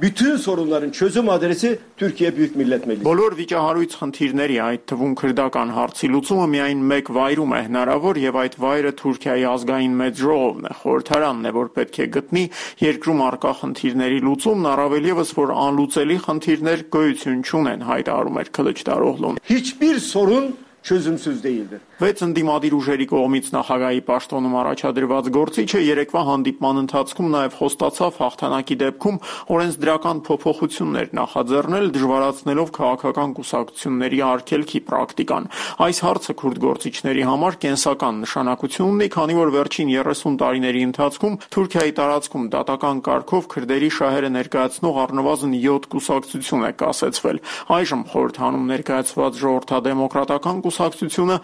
bütün sorunların çözüm adresi Türkiye Büyük Millet Meclisi.
Բոլոր վիճահարույց խնդիրների, այդ թվում քրդական հարցի լուծումը միայն մեկ վայրում է հնարավոր եւ այդ վայրը Թուրքիայի ազգային մեծ ժողովն է, խորհրդարանն է, որ պետք է գտնի երկրում առկա խնդիրների լուծումն, առավել եւս որ անլուծելի խնդիրներ գոյություն չունեն, հայտարարում էր Քլիչդարօղլուն։
Hiçbir sorun çözümsüz değildir.
Վեց ընդդիմադիր ուժերի կողմից նախագահի պաշտոնում առաջադրված գործիչը երեկվա հանդիպման ընթացքում նաև խոստացավ հաղթանակի դեպքում օրենսդրական փոփոխություններ նախաձեռնել, դժվարացնելով քաղաքական կուսակցությունների արգելքի պրակտիկան։ Այս հարցը քուրդ գործիչների համար կենսական նշանակություն ունի, քանի որ վերջին 30 տարիների ընթացքում Թուրքիայի տարածքում դատական կարգով քրդերի շահերը ներկայացնող առնվազն 7 կուսակցություն է կասեցվել։ Այժմ խորհրդանում ներկայացված ժողովրդադեմոկրատական կուսակցությունը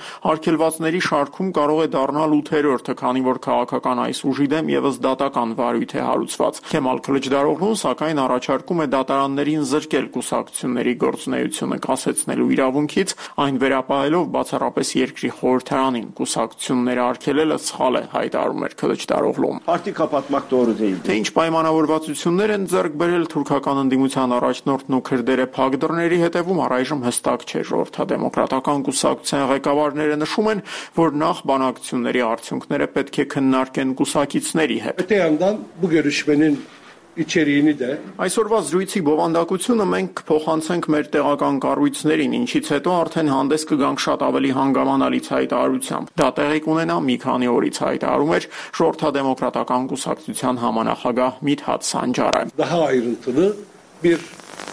արգելվածների շարքում կարող է դառնալ 8-րդը, քանի որ քաղաքական այս ուժի դեմ եւս դատական վարույթ է հարուցված։ Քեմալ Քլիչդարօղլուն սակայն առաջարկում է դատարաններին զրկել կուսակցությունների գործունեությունը կասեցնելու իրավունքից, այն վերապահելով բացառապես երկրի խորհրդարանին կուսակցությունները արգելելը սխալ է, հայտարարում էր Քլիչդարօղլուն։
Parti kapatmak doğru değil.
Թե ինչ պայմանավորվածություններ են ձեռք բերել թուրքական ընդդիմության առաջնորդն ու քրդերը փակ դռների հետևում առայժմ հստակ չէ։ Ժողովրդադեմոկրատական կուսակցության ղեկավարները նշում են, որ նախ բանակցությունների արդյունքները պետք է քննարկեն կուսակիցների հետ։
Öte yandan bu görüşmenin
Այսօրվա զրույցի բովանդակությունը մենք կփոխանցենք մեր տեղական կառույցներին, ինչից հետո արդեն հանդես կգանք շատ ավելի հանգամանալից հայտարարությամբ։ Դա տեղի կունենա մի քանի օրից, հայտարարում էր Ժողովրդադեմոկրատական կուսակցության համանախագահ Միդհաթ Սանջարը։
Daha ayrıntılı bir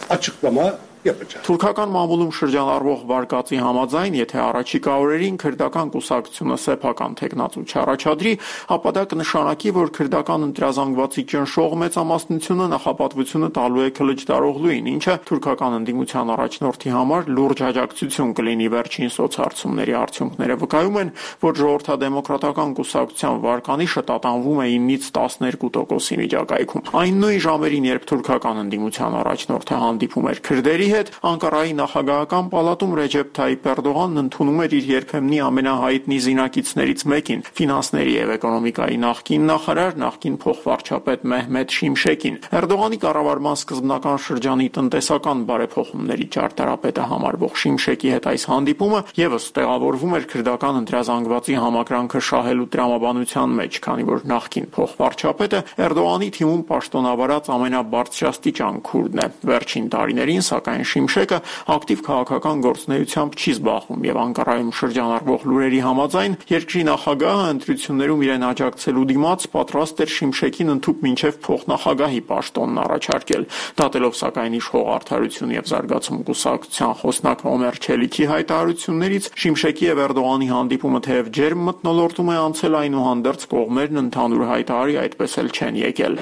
açıklama yapacağız.
Թուրքական մամուլում շրջանառվող վարկածի համաձայն, եթե առաջիկա օրերին քրդական կուսակցությունը սեփական տեխնացու չառաջադրի, ապա դա կնշանակի, որ քրդական ընտրազանգվածի ճնշող մեծամասնությունը նախապատվությունը տալու է քլիչդարօղլուին, ինչը թուրքական ընդդիմության առաջնորդի համար լուրջ աջակցություն կլինի։ Վերջին սոցհարցումների արդյունքները վկայում են, որ Ժողովրդադեմոկրատական կուսակցության վարկանիշը տատանվում է 9-ից 12%-ի միջակայքում։ Այն նույն ժամերին, երբ թուրքական ընդդիմության առաջնորդը հանդիպում էր քրդերի հետ, Անկարայի նախագահական պալատում Ռեջեփ Թայիփ Էրդողանն ընդունում էր իր երբեմնի ամենահայտնի զինակիցներից մեկին, ֆինանսների եւ էկոնոմիկայի նախկին նախարար, նախկին փոխվարչապետ Մեհմեդ Շիմշեկին։ Էրդողանի կառավարման սկզբնական շրջանի տնտեսական բարեփոխումների ճարտարապետը համարվող Շիմշեկի հետ այս հանդիպումը եւս տեղավորվում էր քրդական ընտրազանգվածի համակրանքը շահելու տրամաբանության մեջ, քանի որ նախկին փոխվարչապետը Էրդողանի թիմում պաշտոնավարած ամենաբարձրաստիճան քուրդն է։ Վերջին տարիներին, սակայն Շիմշեկը ակտիվ քաղաքական գործունեությամբ չի զբաղվում եւ Անկարայում շրջանառվող լուրերի համաձայն երկրի նախագահը ընտրություններում իրեն աջակցելու դիմաց պատրաստ էր Շիմշեկին ընդཐུպ մինչեւ փոխնախագահի պաշտոնն առաջարկել։ Դատելով սակայն իշխող Արդարություն եւ զարգացում կուսակցության խոսնակ Օմեր Չելիքի հայտարարություններից, Շիմշեկի եւ Էրդողանի հանդիպումը թեև ջերմ մթնոլորտում է անցել, այնուհանդերձ կողմերն ընդհանուր հայտարարի այդպես էլ չեն եկել։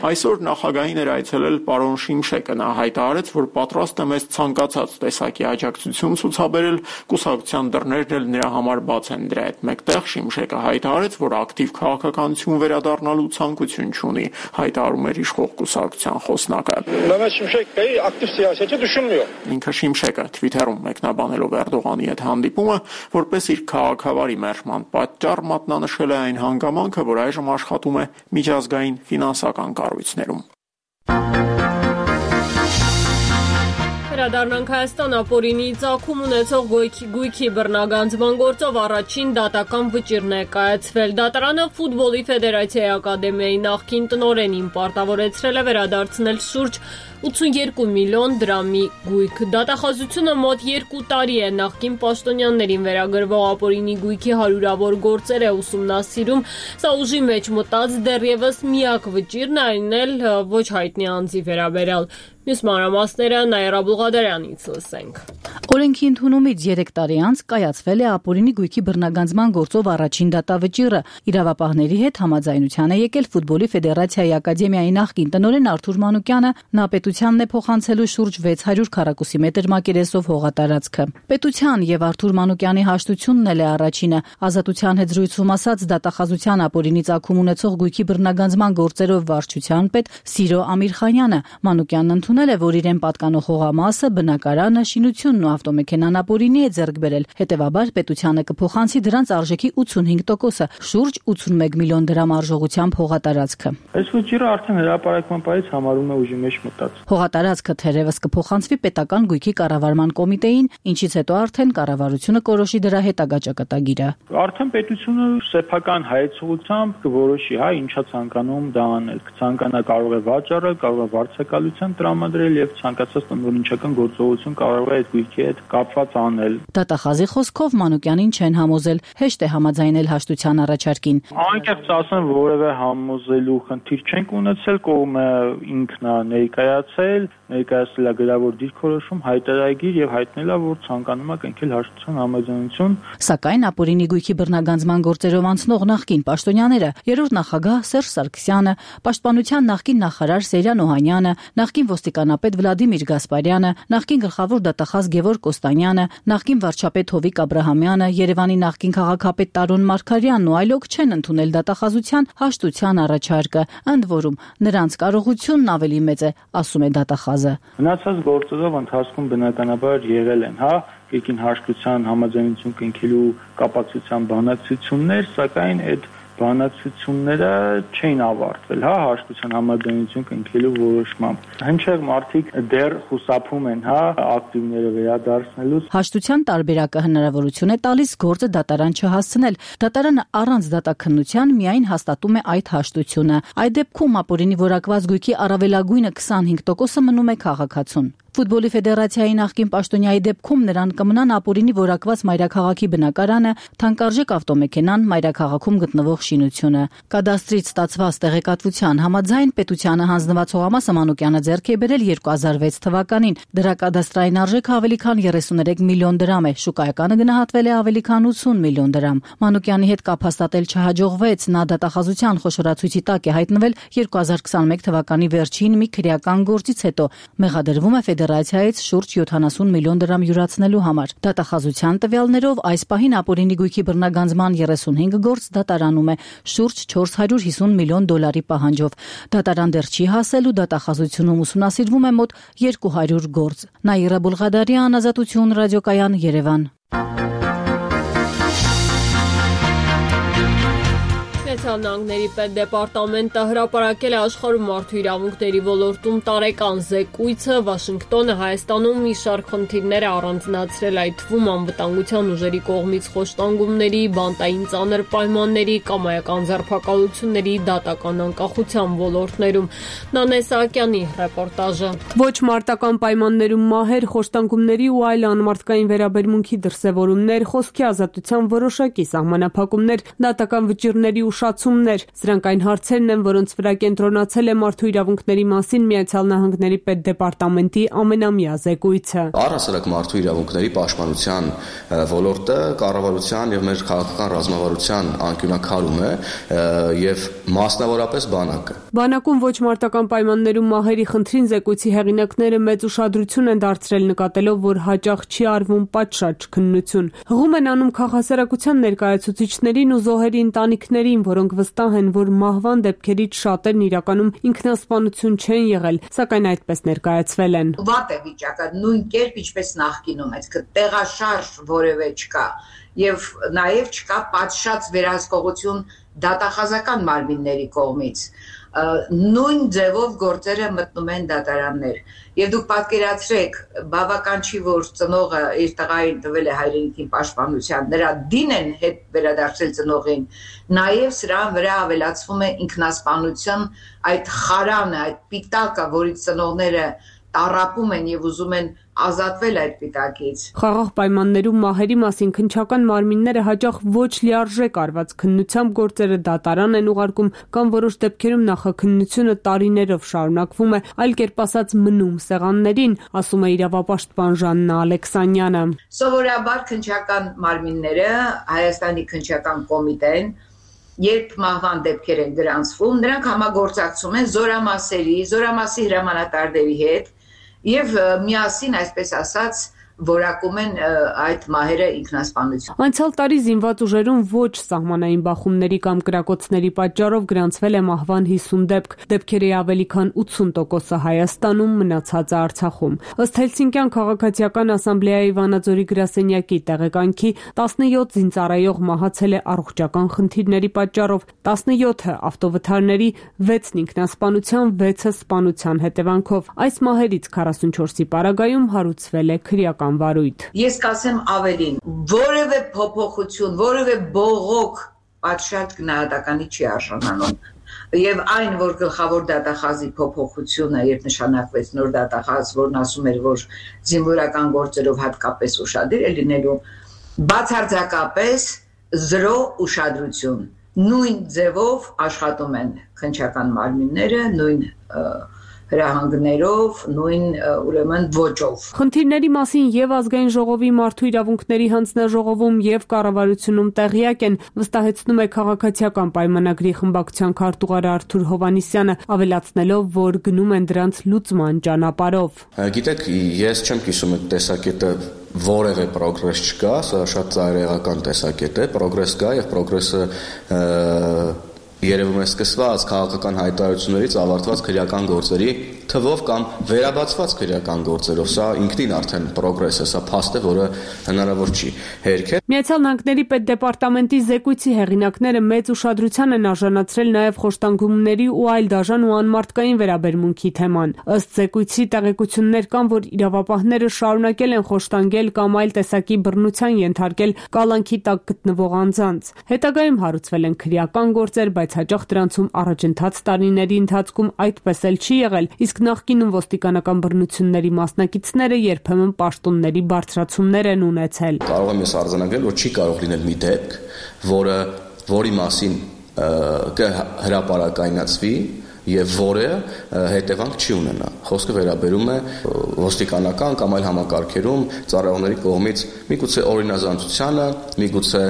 Այսօր նախագահին էր այցելել պարոն Շիմշեկը, նա հայտարարեց, որ պատրաստ է մեզ ցանկացած տեսակի աջակցություն ցուցաբերել, կուսակցության դռներն էլ նրա համար բաց են։ Դրա հետ մեկտեղ Շիմշեկը հայտարարեց, որ ակտիվ քաղաքականություն վերադառնալու ցանկություն չունի, հայտարարում էր իշխող կուսակցության խոսնակը։ Ինքը Շիմշեկը Twitter-ում մեկնաբանելով Էրդողանի հետ հանդիպումը, որպես իր քաղաքավարի մերժման պատճառ մատնանշել է այն հանգամանքը, որ այժմ աշխատում է միջազգային ֆինանսական կառույցներում։
Վերադառնանք Հայաստան, ապօրինի ծագում ունեցող գույքի բռնագանձման գործով առաջին դատական վճիռն է կայացվել։ Դատարանը Ֆուտբոլի ֆեդերացիայի ակադեմիայի նախկին տնօրենին պարտավորեցրել է վերադարձնել շուրջ 82 միլիոն դրամի գույք։ Դատախազությունը մոտ 2 տարի է նախկին պաշտոնյաներին վերագրվող ապօրինի գույքի հարյուրավոր գործեր է ուսումնասիրում։ Սա ուժի մեջ մտած դեռևս միակ վճիռն է, այն էլ ոչ հայտնի անձի վերաբերյալ։ Մյուս մանրամասները Նաիրա Բուղադարյանից լսենք։
Օրենքի ընդունումից 3 տարի անց կայացվել է ապօրինի գույքի բռնագանձման գործով առաջին դատավճիռը։ Իրավապահների հետ համաձայնության է եկել Ֆուտբոլի ֆեդերացիայի ակադեմիայի նախկին տնօրեն Արթուր Մանուկյանը, նա պետությանն է փոխանցելու շուրջ 600 քառակուսի մետր մակերեսով հողատարածքը։ Պետության եւ Արթուր Մանուկյանի հաշտությունն էլ է առաջինը։ Ազատության հետ զրույցում ասաց դատախազության ապօրինի ծագում ունեցող գույքի բռնագանձման գործերով վարչության պետ Սիրո Ամիրխանյանը։ Մանուկյանն ընդունել է, որ իրեն պատկանող հողամասը, բնակարանը, շինությունն ու ավտոմեքենան ապօրինի է ձեռք բերել։ Հետևաբար պետությանը կփոխանցի դրանց արժեքի 85%-ը, շուրջ 81 միլիոն դրամ արժողությամբ հողատարածքը։
Այս վճիռը արդեն հրապարակման պահից համարում է ուժի մեջ մտած։
Հողատարածքը թերևս կփոխանցվի պետական գույքի կառավարման կոմիտեին, ինչից հետո արդեն կառավարությունը կորոշի դրա հետագա ճակատագիրը։
Արդեն պետությունը սեփական հայեցողությամբ կորոշի, ինչա ցանկանում դա անել։ Կցանկանա կարող է վաճառը, կարող է վարձակալության տրամադրել եւ ցանկացած տնօրինչական գործողություն կարող է այդ գույքի հետ կապված անել։
Դատախազի խոսքով Մանուկյանին չեն համոզել, հեշտ է համաձայնել հաշտության առաջարկին։
Անկեղծ ասեմ, որևէ համոզելու խնդիր չենք ունեցել, կողմը ինքն է ներկայացել, ներկայացել է գրավոր դիրքորոշում, հայտարարագիր եւ հայտնել է, որ ցանկանում է կնքել հաշտության համաձայնություն։
Սակայն ապօրինի գույքի բռնագանձման գործերով անցնող նախկին պաշտոնյաները, երրորդ նախագահ Սերժ Սարգսյանը, պաշտպանության նախկին նախարար Սերյան Օհանյանը, նախկին ոստիկանապետ Վլադիմիր Գասպարյանը, նախկին գլխավոր դատախազ Գևորգ Կոստանյանը, նախկին վարչապետ Հովիկ Աբրահամյանը, Երևանի նախկին քաղաքապետ Տարոն Մարգարյանն ու այլոք չեն ընդունել դատախազության հաշտության առաջարկը։ Ընդ որում, նրանց կարողությունն ավելի մեծ է, ասում է դատախազը։
Մնացած գործերով ընթացքում բնականաբար եղել են, կրկին հաշտության համաձայնություն կնքելու կապակցության բանակցություններ, սակայն այդ բանակցությունները չէին ավարտվել, հաշտության համաձայնություն կնքելու որոշմամբ։ Հնչեղ մարդիկ դեռ խուսափում են, ակտիվները վերադարձնելուց։
Հաշտության տարբերակը հնարավորություն է տալիս գործը դատարան չհասցնել։ Դատարանը առանց դատաքննության միայն հաստատում է այդ հաշտությունը։ Այդ դեպքում ապօրինի որակված գույքի առավելագույնը 25%-ը մնում է քաղաքացուն։ Ֆուտբոլի ֆեդերացիայի նախկին պաշտոնյայի դեպքում նրան կմնան ապօրինի որակված մայրաքաղաքի բնակարանը, թանկարժեք ավտոմեքենան, մայրաքաղաքում գտնվող շինությունը։ Կադաստրից ստացված տեղեկատվության համաձայն պետությանը հանձնված հողամասը Մանուկյանը ձեռք է բերել 2006 թվականին։ Դրա կադաստրային արժեքը ավելի քան 33 միլիոն դրամ է, շուկայականը գնահատվել է ավելի քան 80 միլիոն դրամ։ Մանուկյանի հետ կապ հաստատել չհաջողվեց, նա դատախազության խոշորացույցի տակ է հայտնվել 2021 թվականի վերջին մի քրեական գործից հետո։ Մեղադրվում է ֆեդերացիայից շուրջ 70 միլիոն դրամ յուրացնելու համար։ Դատախազության տվյալներով այս պահին ապօրինի գույքի բռնագանձման 35 գործ դատարանում է շուրջ 450 միլիոն դոլարի պահանջով։ Դատարան դեռ չի հասել ու դատախազությունում ուսումնասիրվում է մոտ 200 գործ։ Նաիրա Բուլղադարյան, Ազատություն, ռադիոկայան, Երևան։
Նահանգների պետդեպարտամենտը հրապարակել է աշխարհում մարդու իրավունքների ոլորտում տարեկան զեկույցը։ Վաշինգտոնը Հայաստանում մի շարք խնդիրներ է առանձնացրել, այդ թվում անվտանգության ուժերի կողմից խոշտանգումների, բանտային ծանր պայմանների, կամայական ձերբակալությունների, դատական անկախության ոլորտներում։ Նանե Սահակյանի ռեպորտաժը։
Ոչ մարտական պայմաններում մահեր, խոշտանգումների ու այլ անմարդկային վերաբերմունքի դրսևորումներ, խոսքի ազատության որոշակի սահմանափակումներ, դատական վճիռների ուշացումներ, սրանք այն հարցերն են, որոնց վրա կենտրոնացել է մարդու իրավունքների մասին Միացյալ Նահանգների պետդեպարտամենտի ամենամյա զեկույցը։
Առհասարակ մարդու իրավունքների պաշտպանության ոլորտը կառավարության եւ մեր քաղաքական ռազմավարության անկյունակալում է եւ մասնավորապես բանակը։
Բանակում ոչ մարտական պայմաններում մահերի խնդրին զեկույցի հեղինակները մեծ ուշադրություն են դարձրել, նկատելով, որ հաճախ չի արվում պատշաճ քննություն։ Հղում են անում քաղաքասարակության ներկայացուցիչներին ու զոհերի ընտանիքներին, որոնք վստահ են, որ մահվան դեպքերից շատերն իրականում ինքնասպանություն չեն եղել, սակայն այդպես ներկայացվել են։
Վատ է վիճակը, նույն կերպ ինչպես նախկինում, այսինքն տեղաշարժ որևէ չկա եւ նաեւ չկա պատշաճ վերահսկողություն դատախազական մարմինների կողմից։ Նույն ձևով գործերը մտնում են դատարաններ։ Եվ դուք պատկերացրեք, բավական չի, որ ծնողը իր տղային տվել է հայրենիքին պաշտպանության, նրա դին են հետ վերադարձել ծնողին, նաև սրան վրա ավելացվում է ինքնասպանության այդ խարանը, այդ պիտակը, որից ծնողները տառապում են եւ ուզում են ազատվել այդ պիտակից։
Խաղաղ պայմաններում մահերի մասին քննչական մարմինները հաճախ ոչ լիարժեք արված քննությամբ գործերը դատարան են ուղարկում կամ որոշ դեպքերում նախաքննությունը տարիներով շարունակվում է, այլ կերպ ասած մնում սեղաններին, ասում է իրավապաշտպան Ժաննա Ալեքսանյանը։
Սովորաբար քննչական մարմինները Հայաստանի քննչական կոմիտեն երբ մահվան դեպքեր են գրանցվում, նրանք համագործակցում են զորամասի հրամանատարների հետ եւ միասին, այսպես ասած, որակում են այդ մահերը ինքնասպանություն։
Անցյալ տարի զինված ուժերում ոչ սահմանային բախումների կամ կրակոցների պատճառով գրանցվել է մահվան 50 դեպք, դեպքերի ավելի քան 80%-ը Հայաստանում, մնացածը Արցախում։ Ըստ Հելսինկյան քաղաքացիական ասամբլեայի Վանաձորի գրասենյակի տեղեկանքի 17 զինծառայող մահացել է առողջական խնդիրների պատճառով, 17-ը ավտովթարների, 6-ն ինքնասպանության, 6-ը սպանության հետևանքով։ Այս մահերից 44-ի պարագայում հարուցվել է քրեական վարույթ։
Ես կասեմ ավելին, որևէ փոփոխություն, որևէ բողոք պատշաճ գնահատականի չի արժանանում։ Եվ այն, որ գլխավոր դատախազի փոփոխությունը, երբ նշանակվեց նոր դատախազ, որն ասում էր, որ զինվորական գործերով հատկապես ուշադիր է լինելու, բացարձակապես 0 ուշադրություն։ Նույն ձևով աշխատում են քննչական մարմինները, նույն հրահանգներով, նույն ուրեմն ոճով։
Խնդիրների մասին եւ ազգային ժողովի մարդու իրավունքների հանձնաժողովում եւ կառավարությունում տեղյակ են, վստահեցնում է քաղաքացիական պայմանագրի խմբակցության քարտուղար Արթուր Հովանիսյանը, ավելացնելով, որ գնում են դրանց լուծման ճանապարհով։
Գիտեք, ես չեմ կիսում այդ տեսակետը որևէ պրոգրես չկա, սա շատ ծայրահեղական տեսակետ է, պրոգրես կա եւ պրոգրեսը երևում է սկսված քաղաքական հայտարարություններից ավարտված քրեական գործերի թվով կամ վերաբացված քրեական գործերով։ Սա ինքնին արդեն պրոգրես է, սա փաստ է, որը հնարավոր չի հերքել։
Միացյալ Նահանգների պետդեպարտամենտի զեկույցի հեղինակները մեծ ուշադրության են արժանացրել նաև խոշտանգումների ու այլ դաժան ու անմարդկային վերաբերմունքի թեման։ Ըստ զեկույցի տեղեկություններ կան, որ իրավապահները շարունակել են խոշտանգել կամ այլ տեսակի բռնության ենթարկել կալանքի տակ գտնվող անձանց։ Հետագայում հարուցվել են քրեական գործեր, բայց հաճախ դրանցում առաջընթաց տարիների ընթացքում այդպես էլ չի եղել, իսկ նախկինում ոստիկանական բռնությունների մասնակիցները երբեմն պաշտոնների բարձրացումներ են ունեցել։
Կարող եմ ես արձանագրել, որ չի կարող լինել մի դեպք, որի մասին կհրապարակայնացվի եւ որը հետևանք չի ունենա։ Խոսքը վերաբերում է ոստիկանական կամ այլ համակարգերում ծառայողների կողմից միգուցե օրինազանցությանը, միգուցե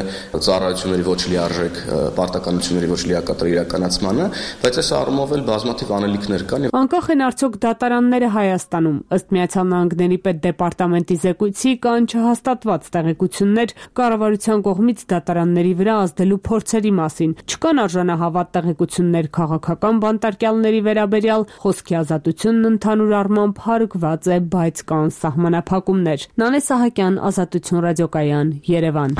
ծառայությունների ոչ լիարժեք պարտականությունների ոչ լիակատար իրականացմանը, բայց այս առումով էլ բազմաթիվ անելիքներ կան։
Անկախ են արդյոք դատարանները Հայաստանում։ Ըստ Միացյալ Նահանգների պետդեպարտամենտի զեկույցի կան չհաստատված տեղեկություններ կառավարության կողմից դատարանների վրա ազդելու փորձերի մասին։ Չկան արժանահավատ տեղեկություններ քաղաքական բանտարկյալների վերաբերյալ, խոսքի ազատությունն ընդհանուր առմամբ հարգված է, բայց կան սահմանափակումներ։ Նանե Սահակյան, Ազատություն ռադիոկայան, Երևան։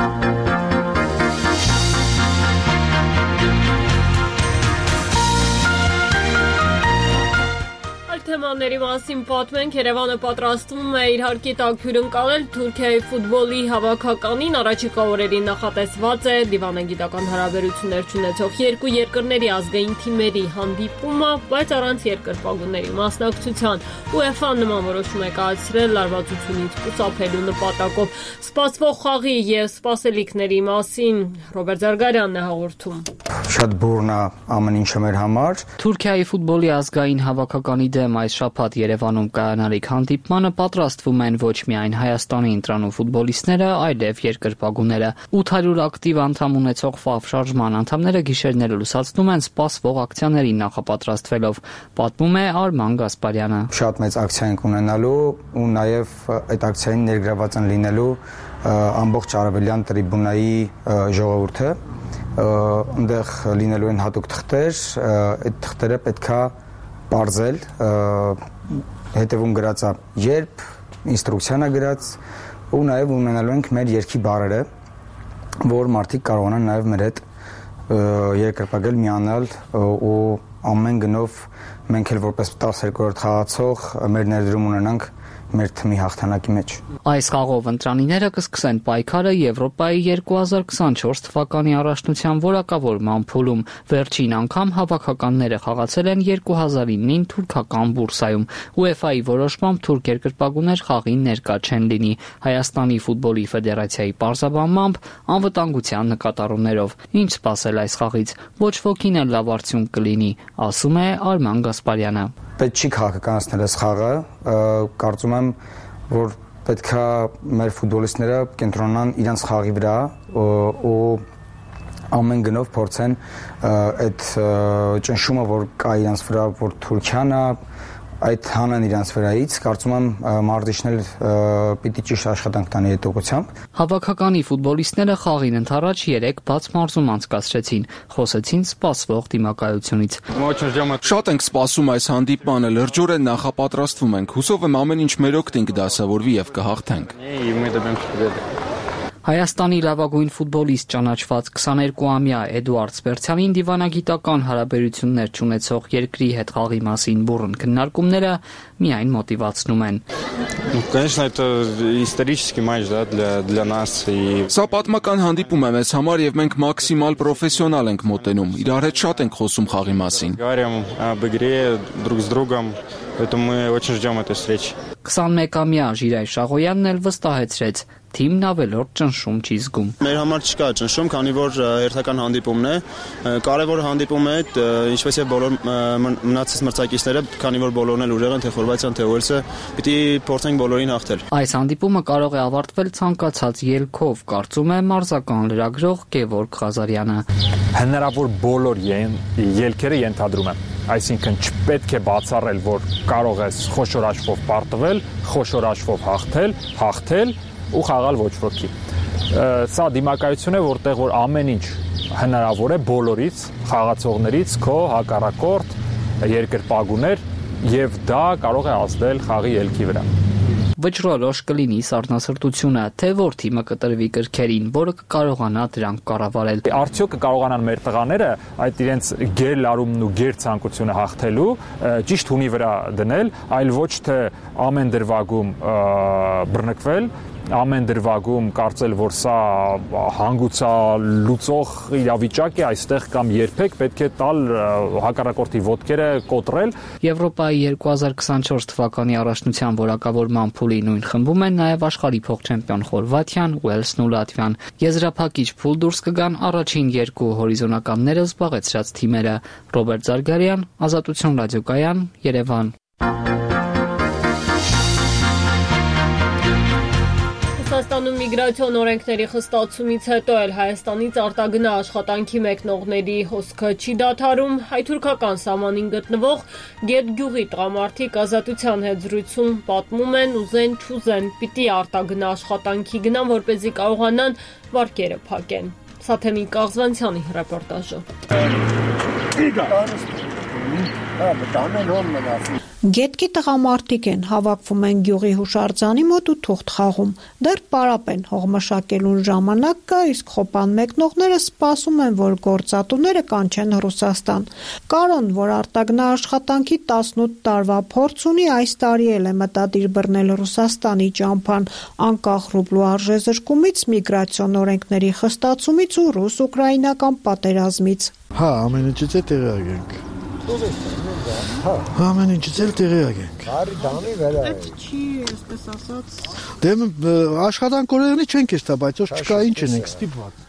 Թեմաների մասին պատմենք, Երևանը պատրաստվում է իր հարկի տակ հյուրընկալել Թուրքիայի ֆուտբոլի հավաքականին, առաջիկա օրերին նախատեսված է դիվանագիտական հարաբերություններ ունեցող երկու երկրների ազգային թիմերի հանդիպումը, բայց առանց երկրպագուների մասնակցության։ UEFA-ն նման որոշում է կայացրել լարվածությունից խուսափելու նպատակով։ Սպասվող խաղի եւ սպասելիքների մասին Ռոբերտ Զարգարյանն է հաղորդում։
Շատ բուրն է ամեն ինչը մեր համար։
Թուրքիայի ֆուտբոլի ազգային հավաքականի դեմ այս շաբաթ Երևանում կայանալիք հանդիպմանը պատրաստվում են ոչ միայն Հայաստանի ընտրանու ֆուտբոլիստները, այլև երկրպագուները։ 800 ակտիվ անդամ ունեցող ՖԱՎ շարժման անդամները գիշերները լուսացնում են սպասվող ակցիաներին նախապատրաստվելով, պատմում է Արման Գասպարյանը։
Շատ մեծ ակցիա ենք ունենալու ու նաև այդ ակցիային ներգրաված են լինելու ամբողջ արևելյան տրիբունայի ժողովուրդը։ Այնտեղ լինելու են հատուկ թղթեր, այդ թղթերը պետքա պարզել, հետևում գրած է երբ, ինստրուկցիան է գրած ու նաև ունենալու ենք մեր երգի բառերը, որ մարդիկ կարողանան նաև մեր հետ երկրպագել, միանալ ու ամեն գնով մենք էլ որպես 12-րդ խաղացող մեր ներդրում ունենանք մեր թիմի հաղթանակի մեջ։
Այս խաղով ընտրանիները կսկսեն պայքարը Եվրոպայի 2024 թվականի առաջնության որակավորման փուլում։ Վերջին անգամ հավաքականները խաղացել են 2009-ին թուրքական Բուրսայում։ UEFA-ի որոշմամբ թուրք երկրպագուներ խաղին ներկա չեն լինի։ Հայաստանի ֆուտբոլի ֆեդերացիայի պարզաբանմամբ անվտանգության նկատառումներով։ Ինչ սպասել այս խաղից։ Ոչ ոքին էլ լավ արդյունք կլինի, ասում է Արման Գասպարյանը։
Պետք չի քաղաքականացնել այս խաղը, կարծում եմ, որ պետքա մեր ֆուտբոլիստները կենտրոնանան իրենց խաղի վրա ու ամեն գնով փորձեն այդ ճնշումը, որ կա իրենց վրա, որ Թուրքիան է, այդ հանեն իրենց վրայից, կարծում եմ մարզիչներ պիտի ճիշտ աշխատանք տանի այդ ուղղությամբ։
Հավաքականի ֆուտբոլիստները խաղին ընդառաջ 3 բաց մարզում անցկացրեցին, խոսեցին սպասվող դիմակայությունից։
Շատ ենք սպասում այս հանդիպմանը, լրջորեն նախապատրաստվում ենք, հուսով եմ ամեն ինչ մեր օգտին կդասավորվի եւ կհաղթենք։
Հայաստանի լավագույն ֆուտբոլիստ ճանաչված 22-ամյա Էդուարդ Սպերցյանին դիվանագիտական հարաբերություններ չունեցող երկրի հետ խաղի մասին բուռն քննարկումները միայն մոտիվացնում են։
Конечно, это исторический матч, да, для нас и
Սա պատմական հանդիպում է մեզ համար եւ մենք մաքսիմալ պրոֆեսիոնալ ենք մոտենում։ Իրար հետ շատ ենք խոսում խաղի մասին։
Говорим об игре друг с другом, поэтому мы очень ждем этой встречи.
21-ամյա Ժիրայր Շաղոյանն էլ վստահեցրեց, թիմն ավելորդ ճնշում չի զգում։
Մեր համար չկա ճնշում, քանի որ հերթական հանդիպումն է, կարևոր հանդիպում է, ինչպես եւ բոլոր մնացած մրցակիցները, քանի որ բոլորն էլ ուժեղ են, թե Խորվաթիան, թե Ուելսը, պիտի փորձենք բոլորին հաղթել։
Այս հանդիպումը կարող է ավարտվել ցանկացած ելքով, կարծում է մարզական լրագրող Գևորգ Ղազարյանը։
Հնարավոր բոլոր ելքերը ենթադրում եմ, այսինքն չպետք է բացառել, որ կարող ես խոշոր աչքով պարտվել, խոշոր աչքով հաղթել ու խաղալ ոչ ոքի։ Սա դիմակայություն է, որտեղ որ ամեն ինչ հնարավոր է բոլորից, խաղացողներից, քո հակառակորդ, երկրպագուներ եւ դա կարող է ազդել խաղի ելքի վրա։
Վճռորոշ կլինի սառնասրտությունը, թե որ թիմը կտրվի կրքերին, որը կկարողանա դրանք կառավարել։
Արդյոք կկարողանան մեր տղաները այդ իրենց գերլարումն ու գերցանկությունը հաղթելու ճիշտ հունի վրա դնել, այլ ոչ թե ամեն դրվագում բռնկվել, ամեն դրվագում կարծել, որ սա հանգուցալուծող իրավիճակ է այստեղ կամ երբեք պետք է տալ հակառակորդի ոտքերը կոտրել։
Եվրոպայի 2024 թվականի առաջնության որակավորման փուլի նույն խմբում են նաև աշխարհի փոխչեմպիոն Խորվաթիան, Ուելսն ու Լատվիան։ Եզրափակիչ փուլ դուրս կգան առաջին երկու հորիզոնականները զբաղեցրած թիմերը։ Ռոբերտ Զարգարյան, Ազատություն ռադիոկայան, Երևան։
Ռուսաստանում միգրացիոն օրենքների խստացումից հետո էլ Հայաստանից արտագնա աշխատանքի մեկնողների հոսքը չի դադարում։ Հայ-թուրքական սահմանին գտնվող Գետ գյուղի տղամարդիկ Ազատության հետ զրույցում պատմում են ուզեն չուզեն պիտի արտագնա աշխատանքի գնան, որպեսզի կարողանան վարկերը փակեն։ Սա Թեմի Կաղզվանցյանի ռեպորտաժը։
Գետքի տղամարդիկ են, հավաքվում են գյուղի հուշարձանի մոտ ու թուղթ խաղում։ Դեռ պարապ են, հողմշակելուն ժամանակ կա, իսկ խոպան մեկնողները սպասում են, որ գործատուները կանչեն Ռուսաստան։ Կարոն, որ արտագնա աշխատանքի 18 տարվա փորձ ունի, այս տարի էլ է մտադիր բռնել Ռուսաստանի ճամփան, անկախ ռուբլու արժեզրկումից, միգրացիոն օրենքների խստացումից ու ռուս-ուկրաինական պատերազմից։
Հա, ամեն ինչից է տեղյակ ենք։ Ամեն ինչից էլ տեղյակ ենք։
Այդ չի, այսպես ասած։
Դե աշխատանքորեղնի չենք էստա, բայց ոչ չկա ինչ ենք ստիպված։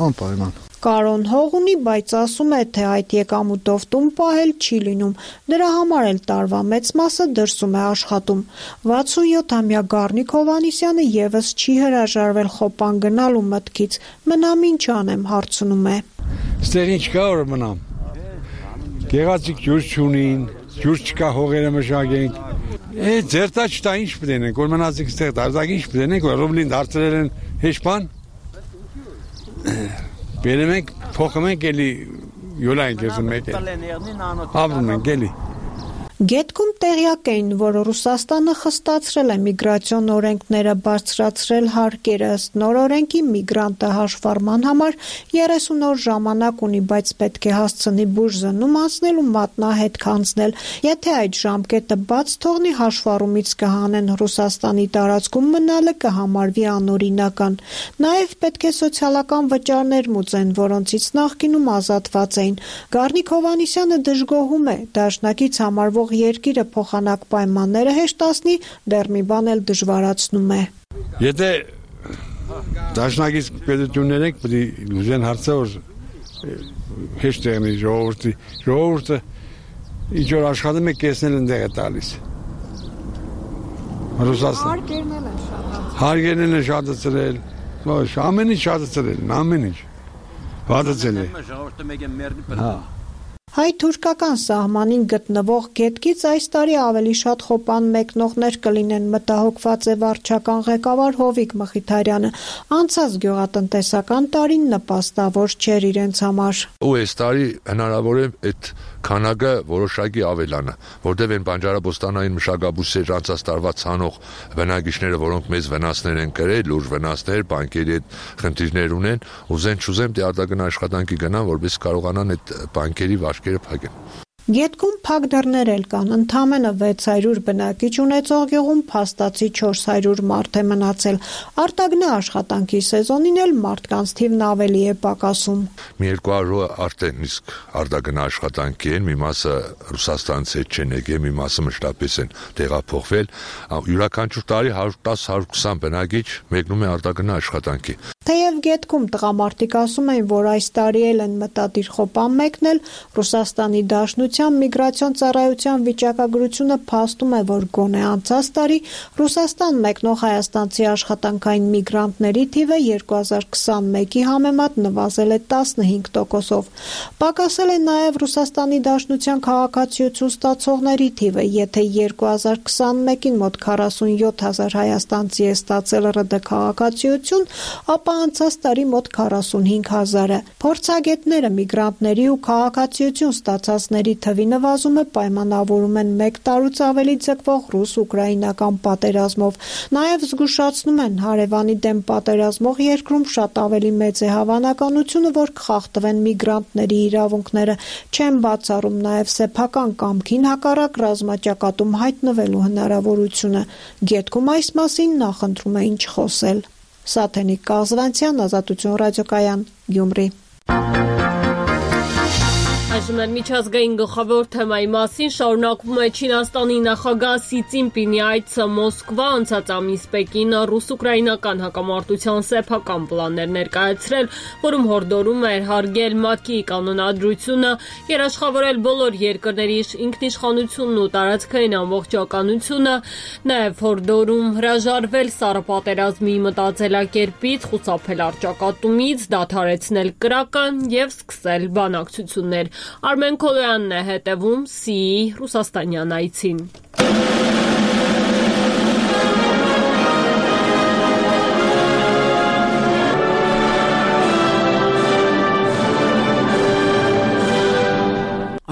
Անպայման։
Կարոն հող ունի, բայց ասում է, թե այդ եկամուտով տուն պահել չի լինում։ Դրա համար էլ տարվա մեծ մասը դրսում է աշխատում։ 67-ամյա Գառնիկ Հովհաննիսյանը եւս չի հրաժարվել խոպան գնալու մտքից։ Մնամ ինչ անեմ, հարցնում է։
Ստեղ ինչ կա որ մնամ։ Գեղեցիկ ջուր չունին, ջուր չկա հողերը մշակենք։ Ձերտա չտա ինչ պիտենենք, որ մնացիք ստեղ դարձակ ինչ պիտենենք, որ ռուբլին դարձրել են հեչ բան։ Բերում ենք, փոխում ենք էլի յոլա ենք եզում մեկ է։ Ապրում ենք էլի։
Գետքում տեղյակ էին, որ Ռուսաստանը խստացրել է միգրացիոն օրենքները, բարձրացրել հարկերը, ըստ նոր օրենքի միգրանտը հաշվառման համար 30 օր ժամանակ ունի, բայց պետք է հասցնի բուժզնում անցնել ու մատնահետք անցնել։ Եթե այդ ժամկետը բաց թողնի, հաշվառումից կհանեն Ռուսաստանի տարածքում մնալը կհամարվի անօրինական։ Նաև պետք է սոցիալական վճարներ մուծեն, որոնցից նախկինում ազատված էին։ Գառնիկ Հովհաննիսյանը դժգոհում է, դաշնակից համարվող երկիրը փոխանակ պայմանները հեշտացնի, դեռ մի բան էլ դժվարացնում է։
Եթե դաշնակից պետություններ ենք, պետք է լուծեն հարցը, որ հեշտ եղնի ժողովուրդը ինչ որ աշխատում է կեսնել ընդեղ է տալիս։ Հարկերն են շատացրել, ամեն ինչ շատացրել, ամեն ինչ։ Վատացել է։
Հայ-թուրքական սահմանին գտնվող գետքից այս տարի ավելի շատ խոպան մեկնողներ կլինեն, մտահոգված է վարչական ղեկավար Հովիկ Մխիթարյանը։ Անցած գյուղատնտեսական տարին նպաստավոր չէր իրենց համար։
Ու այս տարի հնարավոր է այդ քանակը որոշակի ավելանա, որտեղ են բանջարաբոստանային մշակաբույսեր անցած տարվա ցանող բնակիչները, որոնք մեծ վնասներ են կրել, լուրջ վնասներ, բանկերի հետ խնդիրներ ունեն, ուզեն չուզեն դե արտագնա աշխատանքի գնան, որպես կարողանան այդ բանկերի վարկերը փակեն։
Գետքում փակ դռներ էլ կան, ընդամենը 600 բնակիչ ունեցող գյուղում փաստացի 400 մարդ է մնացել։ Արտագնա աշխատանքի սեզոնին էլ մարդկանց թիվն ավելի է պակասում։
Մի 200-ը արդեն իսկ արտագնա աշխատանքի են, մի մասը Ռուսաստանից չեն եկել, մի մասը մշտապես են տեղափոխվել։ Յուրաքանչյուր տարի 110-120 բնակիչ մեկնում է արտագնա աշխատանքի։
Թեև Գետքում տղամարդիկ ասում են, որ այս տարի էլ են մտադիր խոպան մեկնել, Ռուսաստանի Դաշնության միգրացիոն ծառայության վիճակագրությունը փաստում է, որ գոնե անցած տարի Ռուսաստան մեկնող հայաստանցի աշխատանքային միգրանտների թիվը 2021-ի համեմատ նվազել է 15%-ով։ Պակասել է նաև Ռուսաստանի Դաշնության քաղաքացիություն ստացողների թիվը, եթե 2021-ին մոտ 47,000 հայաստանցի է ստացել ՌԴ քաղաքացիություն, ապա անցած տարի մոտ 45,000-ը։ Փորձագետները միգրանտների ու քաղաքացիություն ստացածների թվի նվազումը պայմանավորում են 1 տարուց ավելի ձգվող ռուս-ուկրաինական պատերազմով։ Նաև զգուշացնում են, հարևանի դեմ պատերազմող երկրում շատ ավելի մեծ է հավանականությունը, որ կխախտվեն միգրանտների իրավունքները, չեն բացառում նաև սեփական կամքին հակառակ ռազմաճակատում հայտնվելու հնարավորությունը։ Գետքում այս մասին նախընտրում էին չխոսել։ Սաթենիկ Կազվանցյան, Ազատություն ռադիոկայան, Գյումրի։
Այժմ էլ միջազգային գլխավոր թեմայի մասին շարունակվում է Չինաստանի նախագահ Սի Ցինպինի այցը Մոսկվա, անցած ամիս Պեկինը ռուս-ուկրաինական հակամարտության սեփական պլաններ ներկայացրել, որում հորդորում էր հարգել ՄԱԿ-ի կանոնադրությունը, երաշխավորել բոլոր երկրների ինքնիշխանությունն ու տարածքային ամբողջականությունը, նաև հորդորում հրաժարվել սառը պատերազմի մտածելակերպից, խուսափել առճակատումից, դադարեցնել կրակը և սկսել բանակցություններ։ Արմեն Քոլոյանն է հետևում Սիի ռուսաստանյան այցին։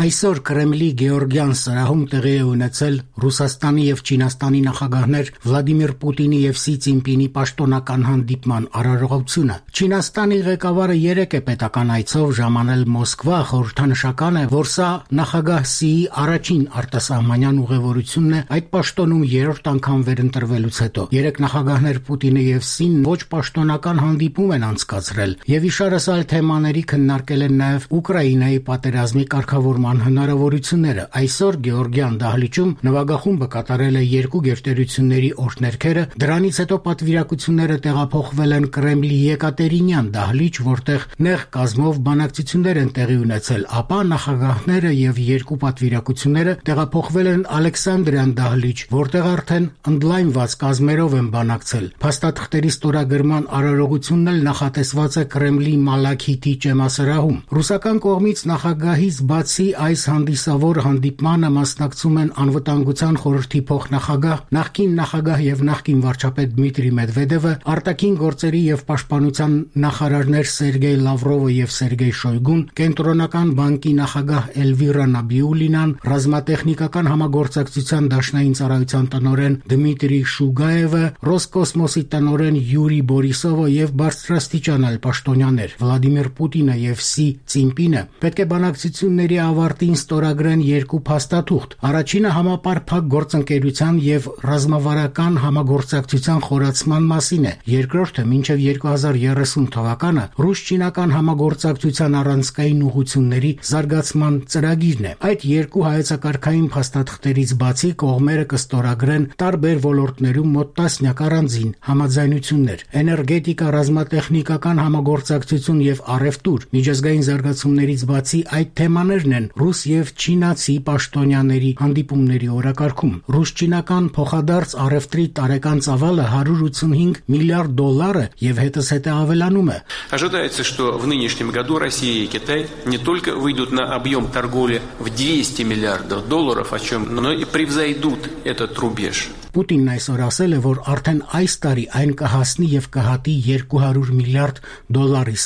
Այսօր Կրեմլի Գեորգյան սրահում տեղի է ունեցել Ռուսաստանի և Չինաստանի նախագահներ Վլադիմիր Պուտինի և Սի Ցինպինի պաշտոնական հանդիպման արարողությունը։ Չինաստանի ղեկավարը 3 է պետական այցով ժամանել Մոսկվա, խորհրդանշական է, որ սա նախագահ Սիի առաջին արտասահմանյան ուղևորությունն է այդ պաշտոնում 3-րդ անգամ վերընտրվելուց հետո։ 3 նախագահներ Պուտինը և Սին ոչ պաշտոնական հանդիպում են անցկացրել և իշարասալ թեմաների քննարկել են նաև Ուկրաինայի պատերազմի կարգավորման հնարավորությունները։ Այսօր Գեորգյան դահլիճում նվագախումբը կատարել է 2 գերտերությունների օրհներգերը, դրանից հետո պատվիրակությունները տեղափոխվել են Կրեմլի Եկատերինյան դահլիճ, որտեղ նեղ կազմով բանակցություններ են տեղի ունեցել, ապա նախագահները և 2 պատվիրակությունները տեղափոխվել են Ալեքսանդրյան դահլիճ, որտեղ արդեն ընդլայնված կազմերով են բանակցել։ Փաստաթղթերի ստորագրման արարողությունն էլ նախատեսված է Կրեմլի Մալաքիթի ճեմասրահում։ Ռուսական կողմից նախագահից բացի այս հանդիսավոր հանդիպմանը մասնակցում են Անվտանգության խորհրդի փոխնախագահ, նախկին նախագահ և նախկին վարչապետ Դմիտրի Մեդվեդևը, արտաքին գործերի և պաշտպանության նախարարներ Սերգեյ Լավրովը և Սերգեյ Շոյգուն, Կենտրոնական բանկի նախագահ Էլվիրա Նաբիուլինան, ռազմատեխնիկական համագործակցության դաշնային ծառայության տնօրեն Դմիտրի Շուգաևը, Ռոսկոսմոսի տնօրեն Յուրի Բորիսովը և բարձրաստիճան այլ պաշտոնյաներ։ Վլադիմիր Պուտինը և Սի Ցինպինը պետք է բանակցությունների ավարտին ստորագրեն 2 փաստաթուղթ։ Առաջինը համապարփակ գործընկերության և ռազմավարական համագործակցության խորացման մասին է։ Երկրորդը մինչև 2030 թվականը ռուս-չինական համագործակցության առանցքային ուղղությունների զարգացման ծրագիրն է։ Այդ 2 հայեցակարգային փաստաթղթերից բացի կողմերը կստորագրեն տարբեր ոլորտներում մոտ 10 առանձին համաձայնություններ՝ էներգետիկա, ռազմատեխնիկական համագործակցություն և առևտուր։ Միջազգային զարգացումներից բացի այդ թեմաներն են ռուս և չինացի պաշտոնյաների հանդիպումների օրակարգում։ Ռուս-չինական փոխադարձ առևտրի տարեկան ծավալը $185 միլիարդ է և հետզհետե ավելանում է։
Ожидается, что в нынешнем году Россия и Китай не только выйдут на объем торговли в $200 миллиардов, но и превзойдут этот рубеж.
Պուտինն այսօր ասել է, որ արդեն այս տարի այն կհասնի և կհատի $200 միլիարդ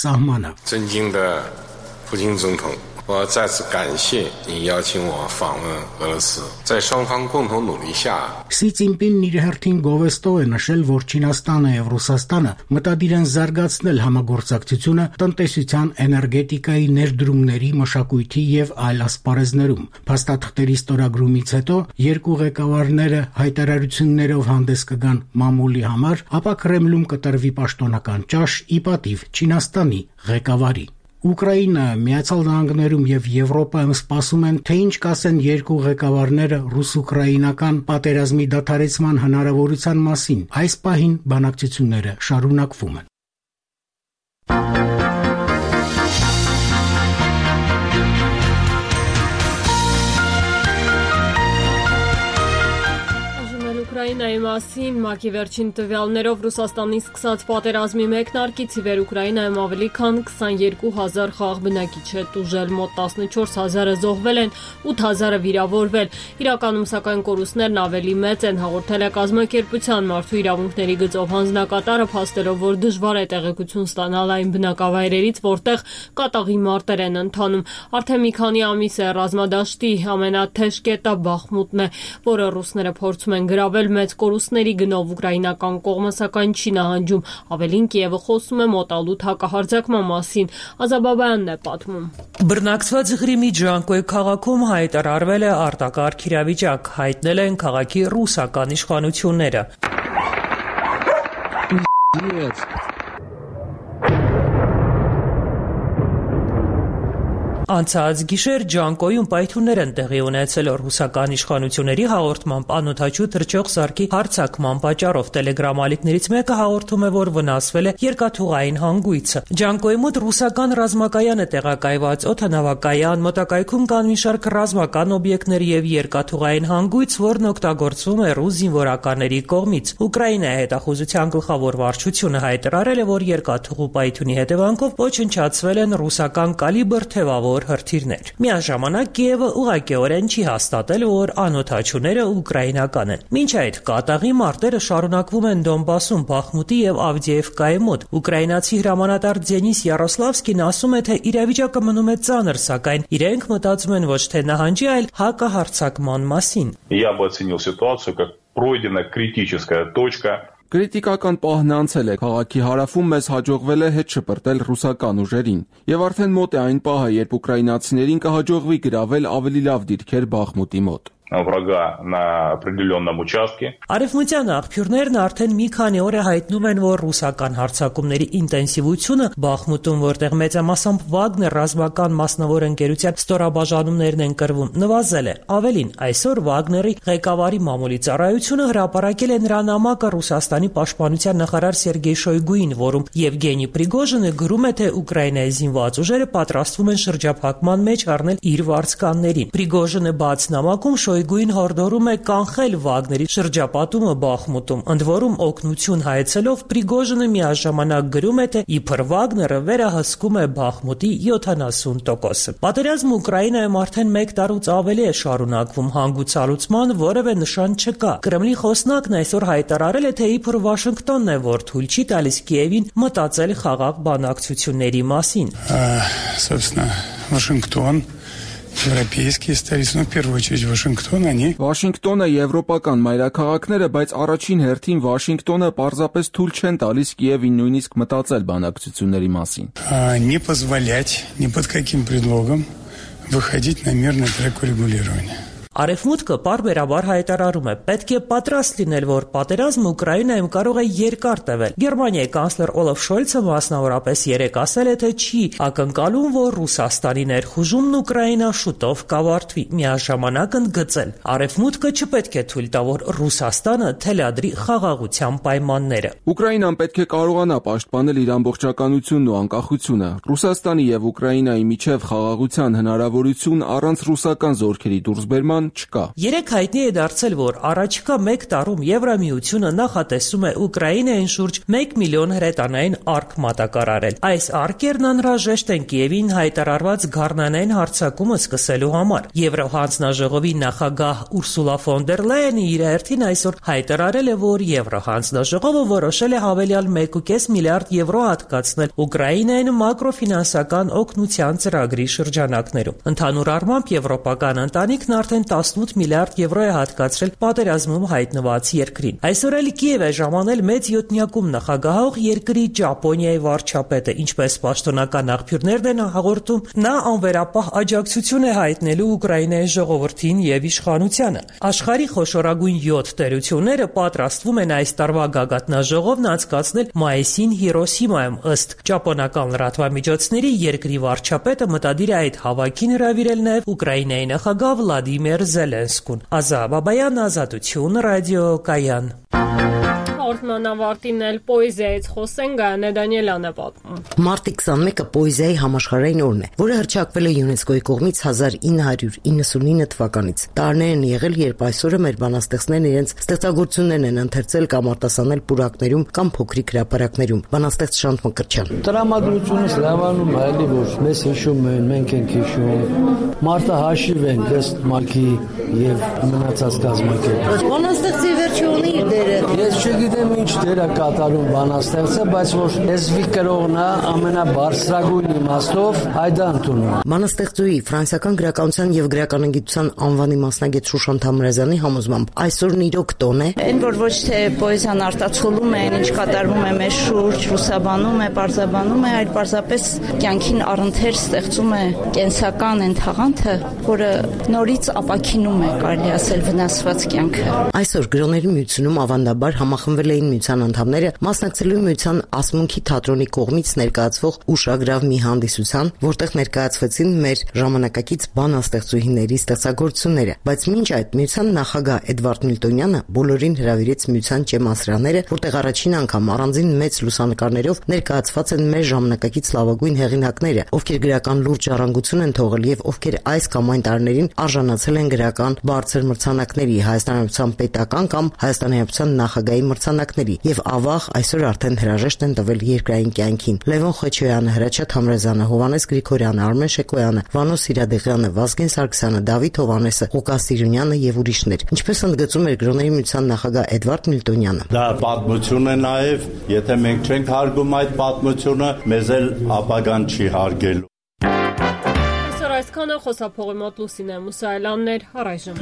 սահմանը։
普京总统，我再次感谢你邀请我访问俄罗斯，在双方共同努力下。
Սի Ցինպինն իր հերթին գովեստով է նշել, որ Չինաստանը և Ռուսաստանը մտադիր են զարգացնել համագործակցությունը տնտեսության, էներգետիկայի, ներդրումների, մշակույթի և այլ ասպարեզներում։ Փաստաթղթերի ստորագրումից հետո 2 ղեկավարները հայտարարություններով հանդես կգան մամուլի համար, ապա Կրեմլում կտրվի պաշտոնական ճաշ ի պատիվ Չինաստանի ղեկավարի։ Ուկրաինա, Միացյալ Նահանգներում և Եվրոպայում սպասում են, թե ինչ կասեն 2 ղեկավարները ռուս-ուկրաինական պատերազմի դադարեցման հնարավորության մասին։ Այս պահին բանակցությունները շարունակվում են։
Ուկրաինայի մասին ՄԱԿ-ի վերջին տվյալներով Ռուսաստանի սկսած պատերազմի մեկնարկից ի վեր Ուկրաինայում ավելի քան 22,000 խաղաղ բնակիչ է տուժել, մոտ 14,000-ը զոհվել են, 8,000-ը վիրավորվել։ Իրականում սակայն կորուստներն ավելի մեծ են, հաղորդել է կազմակերպության մարդու իրավունքների գծով հանձնակատարը, փաստելով, որ դժվար է տեղեկություն ստանալ այն բնակավայրերից, որտեղ կատաղի մարտեր են ընթանում։ Արդեն մի քանի ամիս է ռազմադաշտի ամենաթեժ կետը Բախմուտն է, որը ռուսները փորձում են գրավել մեծ կորուստների գնով ուկրաինական կողմը, սակայն չի նահանջում։ Ավելին Կիևը խոսում է մոտալուտ հակահարձակման մասին։ Ազաբաբայանն է պատմում։
Բռնակցված Ղրիմի Ջանկոյ քաղաքում հայտարարվել է արտակարգ իրավիճակ, հայտնել են քաղաքի ռուսական իշխանությունները։ Անցած գիշեր Ջանկոյում պայթյուններ են տեղի ունեցել ռուսական իշխանությունների հաղորդմամբ անօդաչու թռչող սարքի հարձակման պատճառով։ Տելեգրամ ալիքներից մեկը հաղորդում է, որ վնասվել է երկաթուղային հանգույցը։ Ջանկոյի մոտ ռուսական ռազմակայան է տեղակայված, օդանավակայան, մոտակայքում կան մի շարք ռազմական օբյեկտներ եւ երկաթուղային հանգույց, որն օգտագործվում է ռուս զինվորականների կողմից։ Ուկրաինայի հետախուզության գլխավոր վարչությունը հայտարարել է, որ երկաթուղու պայթյունի հետևանքով ոչնչացվել են ռուսական կալիբր թևավոր հրթիռներ։ Միաժամանակ Կիևը ուղղակիորեն չի հաստատել, որ անօդաչուները ուկրաինական են։ Մինչ այդ կատաղի մարտերը շարունակվում են Դոնբասում, Բախմուտի եւ Ավդիևկայի մոտ։ Ուկրաինացի հրամանատար Դենիս Յարոսլավսկին ասում է, թե իրավիճակը մնում է ծանր, սակայն իրենք մտածում են ոչ թե նահանջի, այլ հակահարձակման մասին։
Я бы оценил ситуацию как пройдена критическая точка.
Կրիտիկական պահն անցել է, քաղաքի հարավում մեզ հաջողվել է հետ շպրտել ռուսական ուժերին, եւ արդեն մոտ է այն պահը, երբ ուկրաինացիներին կհաջողվի գրավել ավելի լավ դիրքեր Բախմուտի մոտ։
Врага на определенном участке.
Արևմտյան աղբյուրներն արդեն մի քանի օր է հայտնում են, որ ռուսական հարձակումների ինտենսիվությունը Բախմուտում, որտեղ մեծամասամբ Վագներ ռազմական մասնավոր ընկերության ստորաբաժանումներն են կրվում, նվազել է։ Ավելին, այսօր Վագների ղեկավարի մամուլի ծառայությունը հրապարակել է նրա նամակը Ռուսաստանի պաշտպանության նախարար Սերգեյ Շոյգուին, որում Եվգենի Պրիգոժինը գրում է, թե Ուկրաինայի զինված ուժերը պատրաստվում են շրջափակման մեջ առնել իր վարձկաններին։ Պրիգոժինը բաց նամակում Շոյգուին հորդորում է կանխել Վագների շրջապատումը Բախմուտում, ընդ որում օգնություն հայցելով Պրիգոժինը միաժամանակ գրում է, թե իբր Վագները վերահսկում է Բախմուտի 70%-ը։ Պատերազմը Ուկրաինայում արդեն 1 տարուց ավելի է շարունակվում, հանգուցալուծման որևէ նշան չկա։ Կրեմլի խոսնակն այսօր հայտարարել է, թե իբր Վաշինգտոնն է, որ թույլ չի տալիս Կիևին մտածել խաղաղ բանակցությունների մասին։
Собственно, Вашингтон Европейские столицы, в первую очередь Вашингтон, они...
Վաշինգտոնը եվրոպական մայրաքաղաքները, բայց առաջին հերթին Վաշինգտոնը պարզապես թույլ չեն տալիս Կիևին նույնիսկ մտածել բանակցությունների մասին։
Не позволять ни под каким предлогом выходить на мирный трек урегулирования.
Արևմուտքը պարբերաբար հայտարարում է, պետք է պատրաստ լինել, որ պատերազմը Ուկրաինայում կարող է երկար տևել։ Գերմանիայի կանցլեր Օլաֆ Շոլցը մասնավորապես երեկ ասել է, թե չի ակնկալում, որ Ռուսաստանի ներխուժումն Ուկրաինա շուտով կավարտվի։ Միաժամանակ ընդգծել, Արևմուտքը չպետք է թույլ տա, որ Ռուսաստանը թելադրի խաղաղության պայմանները։
Ուկրաինան պետք է կարողանա պաշտպանել իր ամբողջականությունն ու անկախությունը։ Ռուսաստանի եւ Ուկրաինայի միջև խաղաղության հնարավորություն առանց ռուսական զորքերի դուրսբերման չկա։ Երեք
հայտնի է դարձել, որ առաջիկա 1 տարում Եվրամիությունը նախատեսում է Ուկրաինային շուրջ 1 միլիոն հրետանային արկ մատակարարել։ Այս արկերն անհրաժեշտ են Կիևին հայտարարված գառնանային հարձակումը սկսելու համար։ Եվրոհանձնաժողովի նախագահ Ուրսուլա ֆոն դեր Լայենը իր հերթին այսօր հայտարարել է, որ Եվրոհանձնաժողովը որոշել է հավելյալ 1.5 միլիարդ եվրո հատկացնել Ուկրաինային մակրոֆինանսական օգնության ծրագրի շրջանակներում։ Ընդհանուր առմամբ եվրոպական ընտանիքն արդեն 18 միլիարդ եվրո է հատկացրել պատերազմում հայտնված երկրին։ Այսօր էլ Կիև է ժամանել մեծ յոթնյակում նախագահող երկրի Ճապոնիայի վարչապետը, ինչպես պաշտոնական աղբյուրներն են հաղորդում, նա անվերապահ աջակցություն է հայտնելու Ուկրաինայի ժողովրդին եւ իշխանությանը։ Աշխարհի խոշորագույն 7 տերությունները պատրաստվում են այս տարվա գագաթնաժողովն անցկացնել մայիսին Հիրոսիմայում, ըստ ճապոնական լրատվամիջոցների երկրի վարչապետը մտադիր է այդ հավաքին հրավիրել նաեւ Ուկրաինայի նախագահ Վլադիմիր Զելենսկուն։ Ազա Բաբայան, Ազատություն, ռադիո Կայան։
հաղորդման ավարտին էլ պոեզիայից խոսեն, Գայանե Դանիելյանը պատմում։
Մարտի 21-ը պոեզիայի համաշխարհային օրն է, որը հռչակվել է ՅՈՒՆԵՍԿՕ-ի կողմից 1999 թվականից։ Տարիներ են եղել, երբ այսօրը մեր բանաստեղծներն իրենց ստեղծագործություններն են ընթերցել կամ արտասանել պուրակներում կամ փոքրիկ հրապարակներում։ Բանաստեղծ Շանթ Մկրտչյան։
Տրամադրությունս լավանում է, էլի որ մեզ հիշում են, մենք ենք հիշում։ Մարտը հաշիվ են ըստ մալքի եւ մնացած կազմակերպ։
Բանաստեղծի վերջը ունի իր դերը։
Ես չգիտեմ ինչ դեր է կատարում բանաստեղծը, բայց որ լեզվի կրողն է ամենաբարձրագույն իմաստով հայդա ընդունում։
Բանաստեղծուի ֆրանսիական գրականության եւ գրականագիտության անվանի մասնագետ Շուշան Թամրազյանի համոզմամբ այսօրն իրոք տոն է։
Այն որ ոչ թե պոեզիան արտացոլում է, ինչ կատարվում է մեր շուրջ, ռուսաբանում է, պարզաբանում է, այլ պարզապես կյանքին առընթեր ստեղծում է կենսական այն թաղանթը, որը նորից ապաքինում է, կարելի ասել, վնասված կյանքը։
Այսօր գրողների միությունում ավանդաբար համախմբվել էին միության անդամները մասնակցելու միության ասմունքի թատրոնի կողմից ներկայացվող ուշագրավ մի հանդիսության, որտեղ ներկայացվեցին մեր ժամանակակից բանաստեղծուհիների ստեղծագործությունները, բայց մինչ այդ միության նախագահ Էդվարդ Միլտոնյանը բոլորին հրավիրեց միության ճեմասրաները, որտեղ առաջին անգամ առանձին մեծ լուսանկարներով ներկայացված են մեր ժամանակակից լավագույն հեղինակները, ովքեր գրական լուրջ ժառանգություն են թողել եւ ովքեր այս կամ այն տարիներին արժանացել են գրական բարձր մրցանակների, Հայաստանյան պետական կամ Հայաստանյան նախագահի մրցանակների եւ ավաղ այսօր արդեն հրաժեշտ են տվել երկրային կյանքին։ Լևոն Խեչոյանը, Հրաչյա Թամրազյանը, Հովհաննես Գրիգորյանը, Արմեն Շեկոյանը, Վանո Սիրադեղյանը, Վազգեն Սարգսյանը, Դավիթ Հովհաննեսը, Ղուկաս Սիրունյանը եւ ուրիշներ։ Ինչպես ընդգծում էր գրողների միության նախագահ Էդվարդ Միլտոնյանը։
Դա պատմություն է նաեւ, եթե մենք չենք հարգում այդ պատմությունը, մեզ էլ ապագան չի հարգելու։
Այսքանը խոսափողի մոտ Լուսինե Մուսայելյանն էր, առայժմ։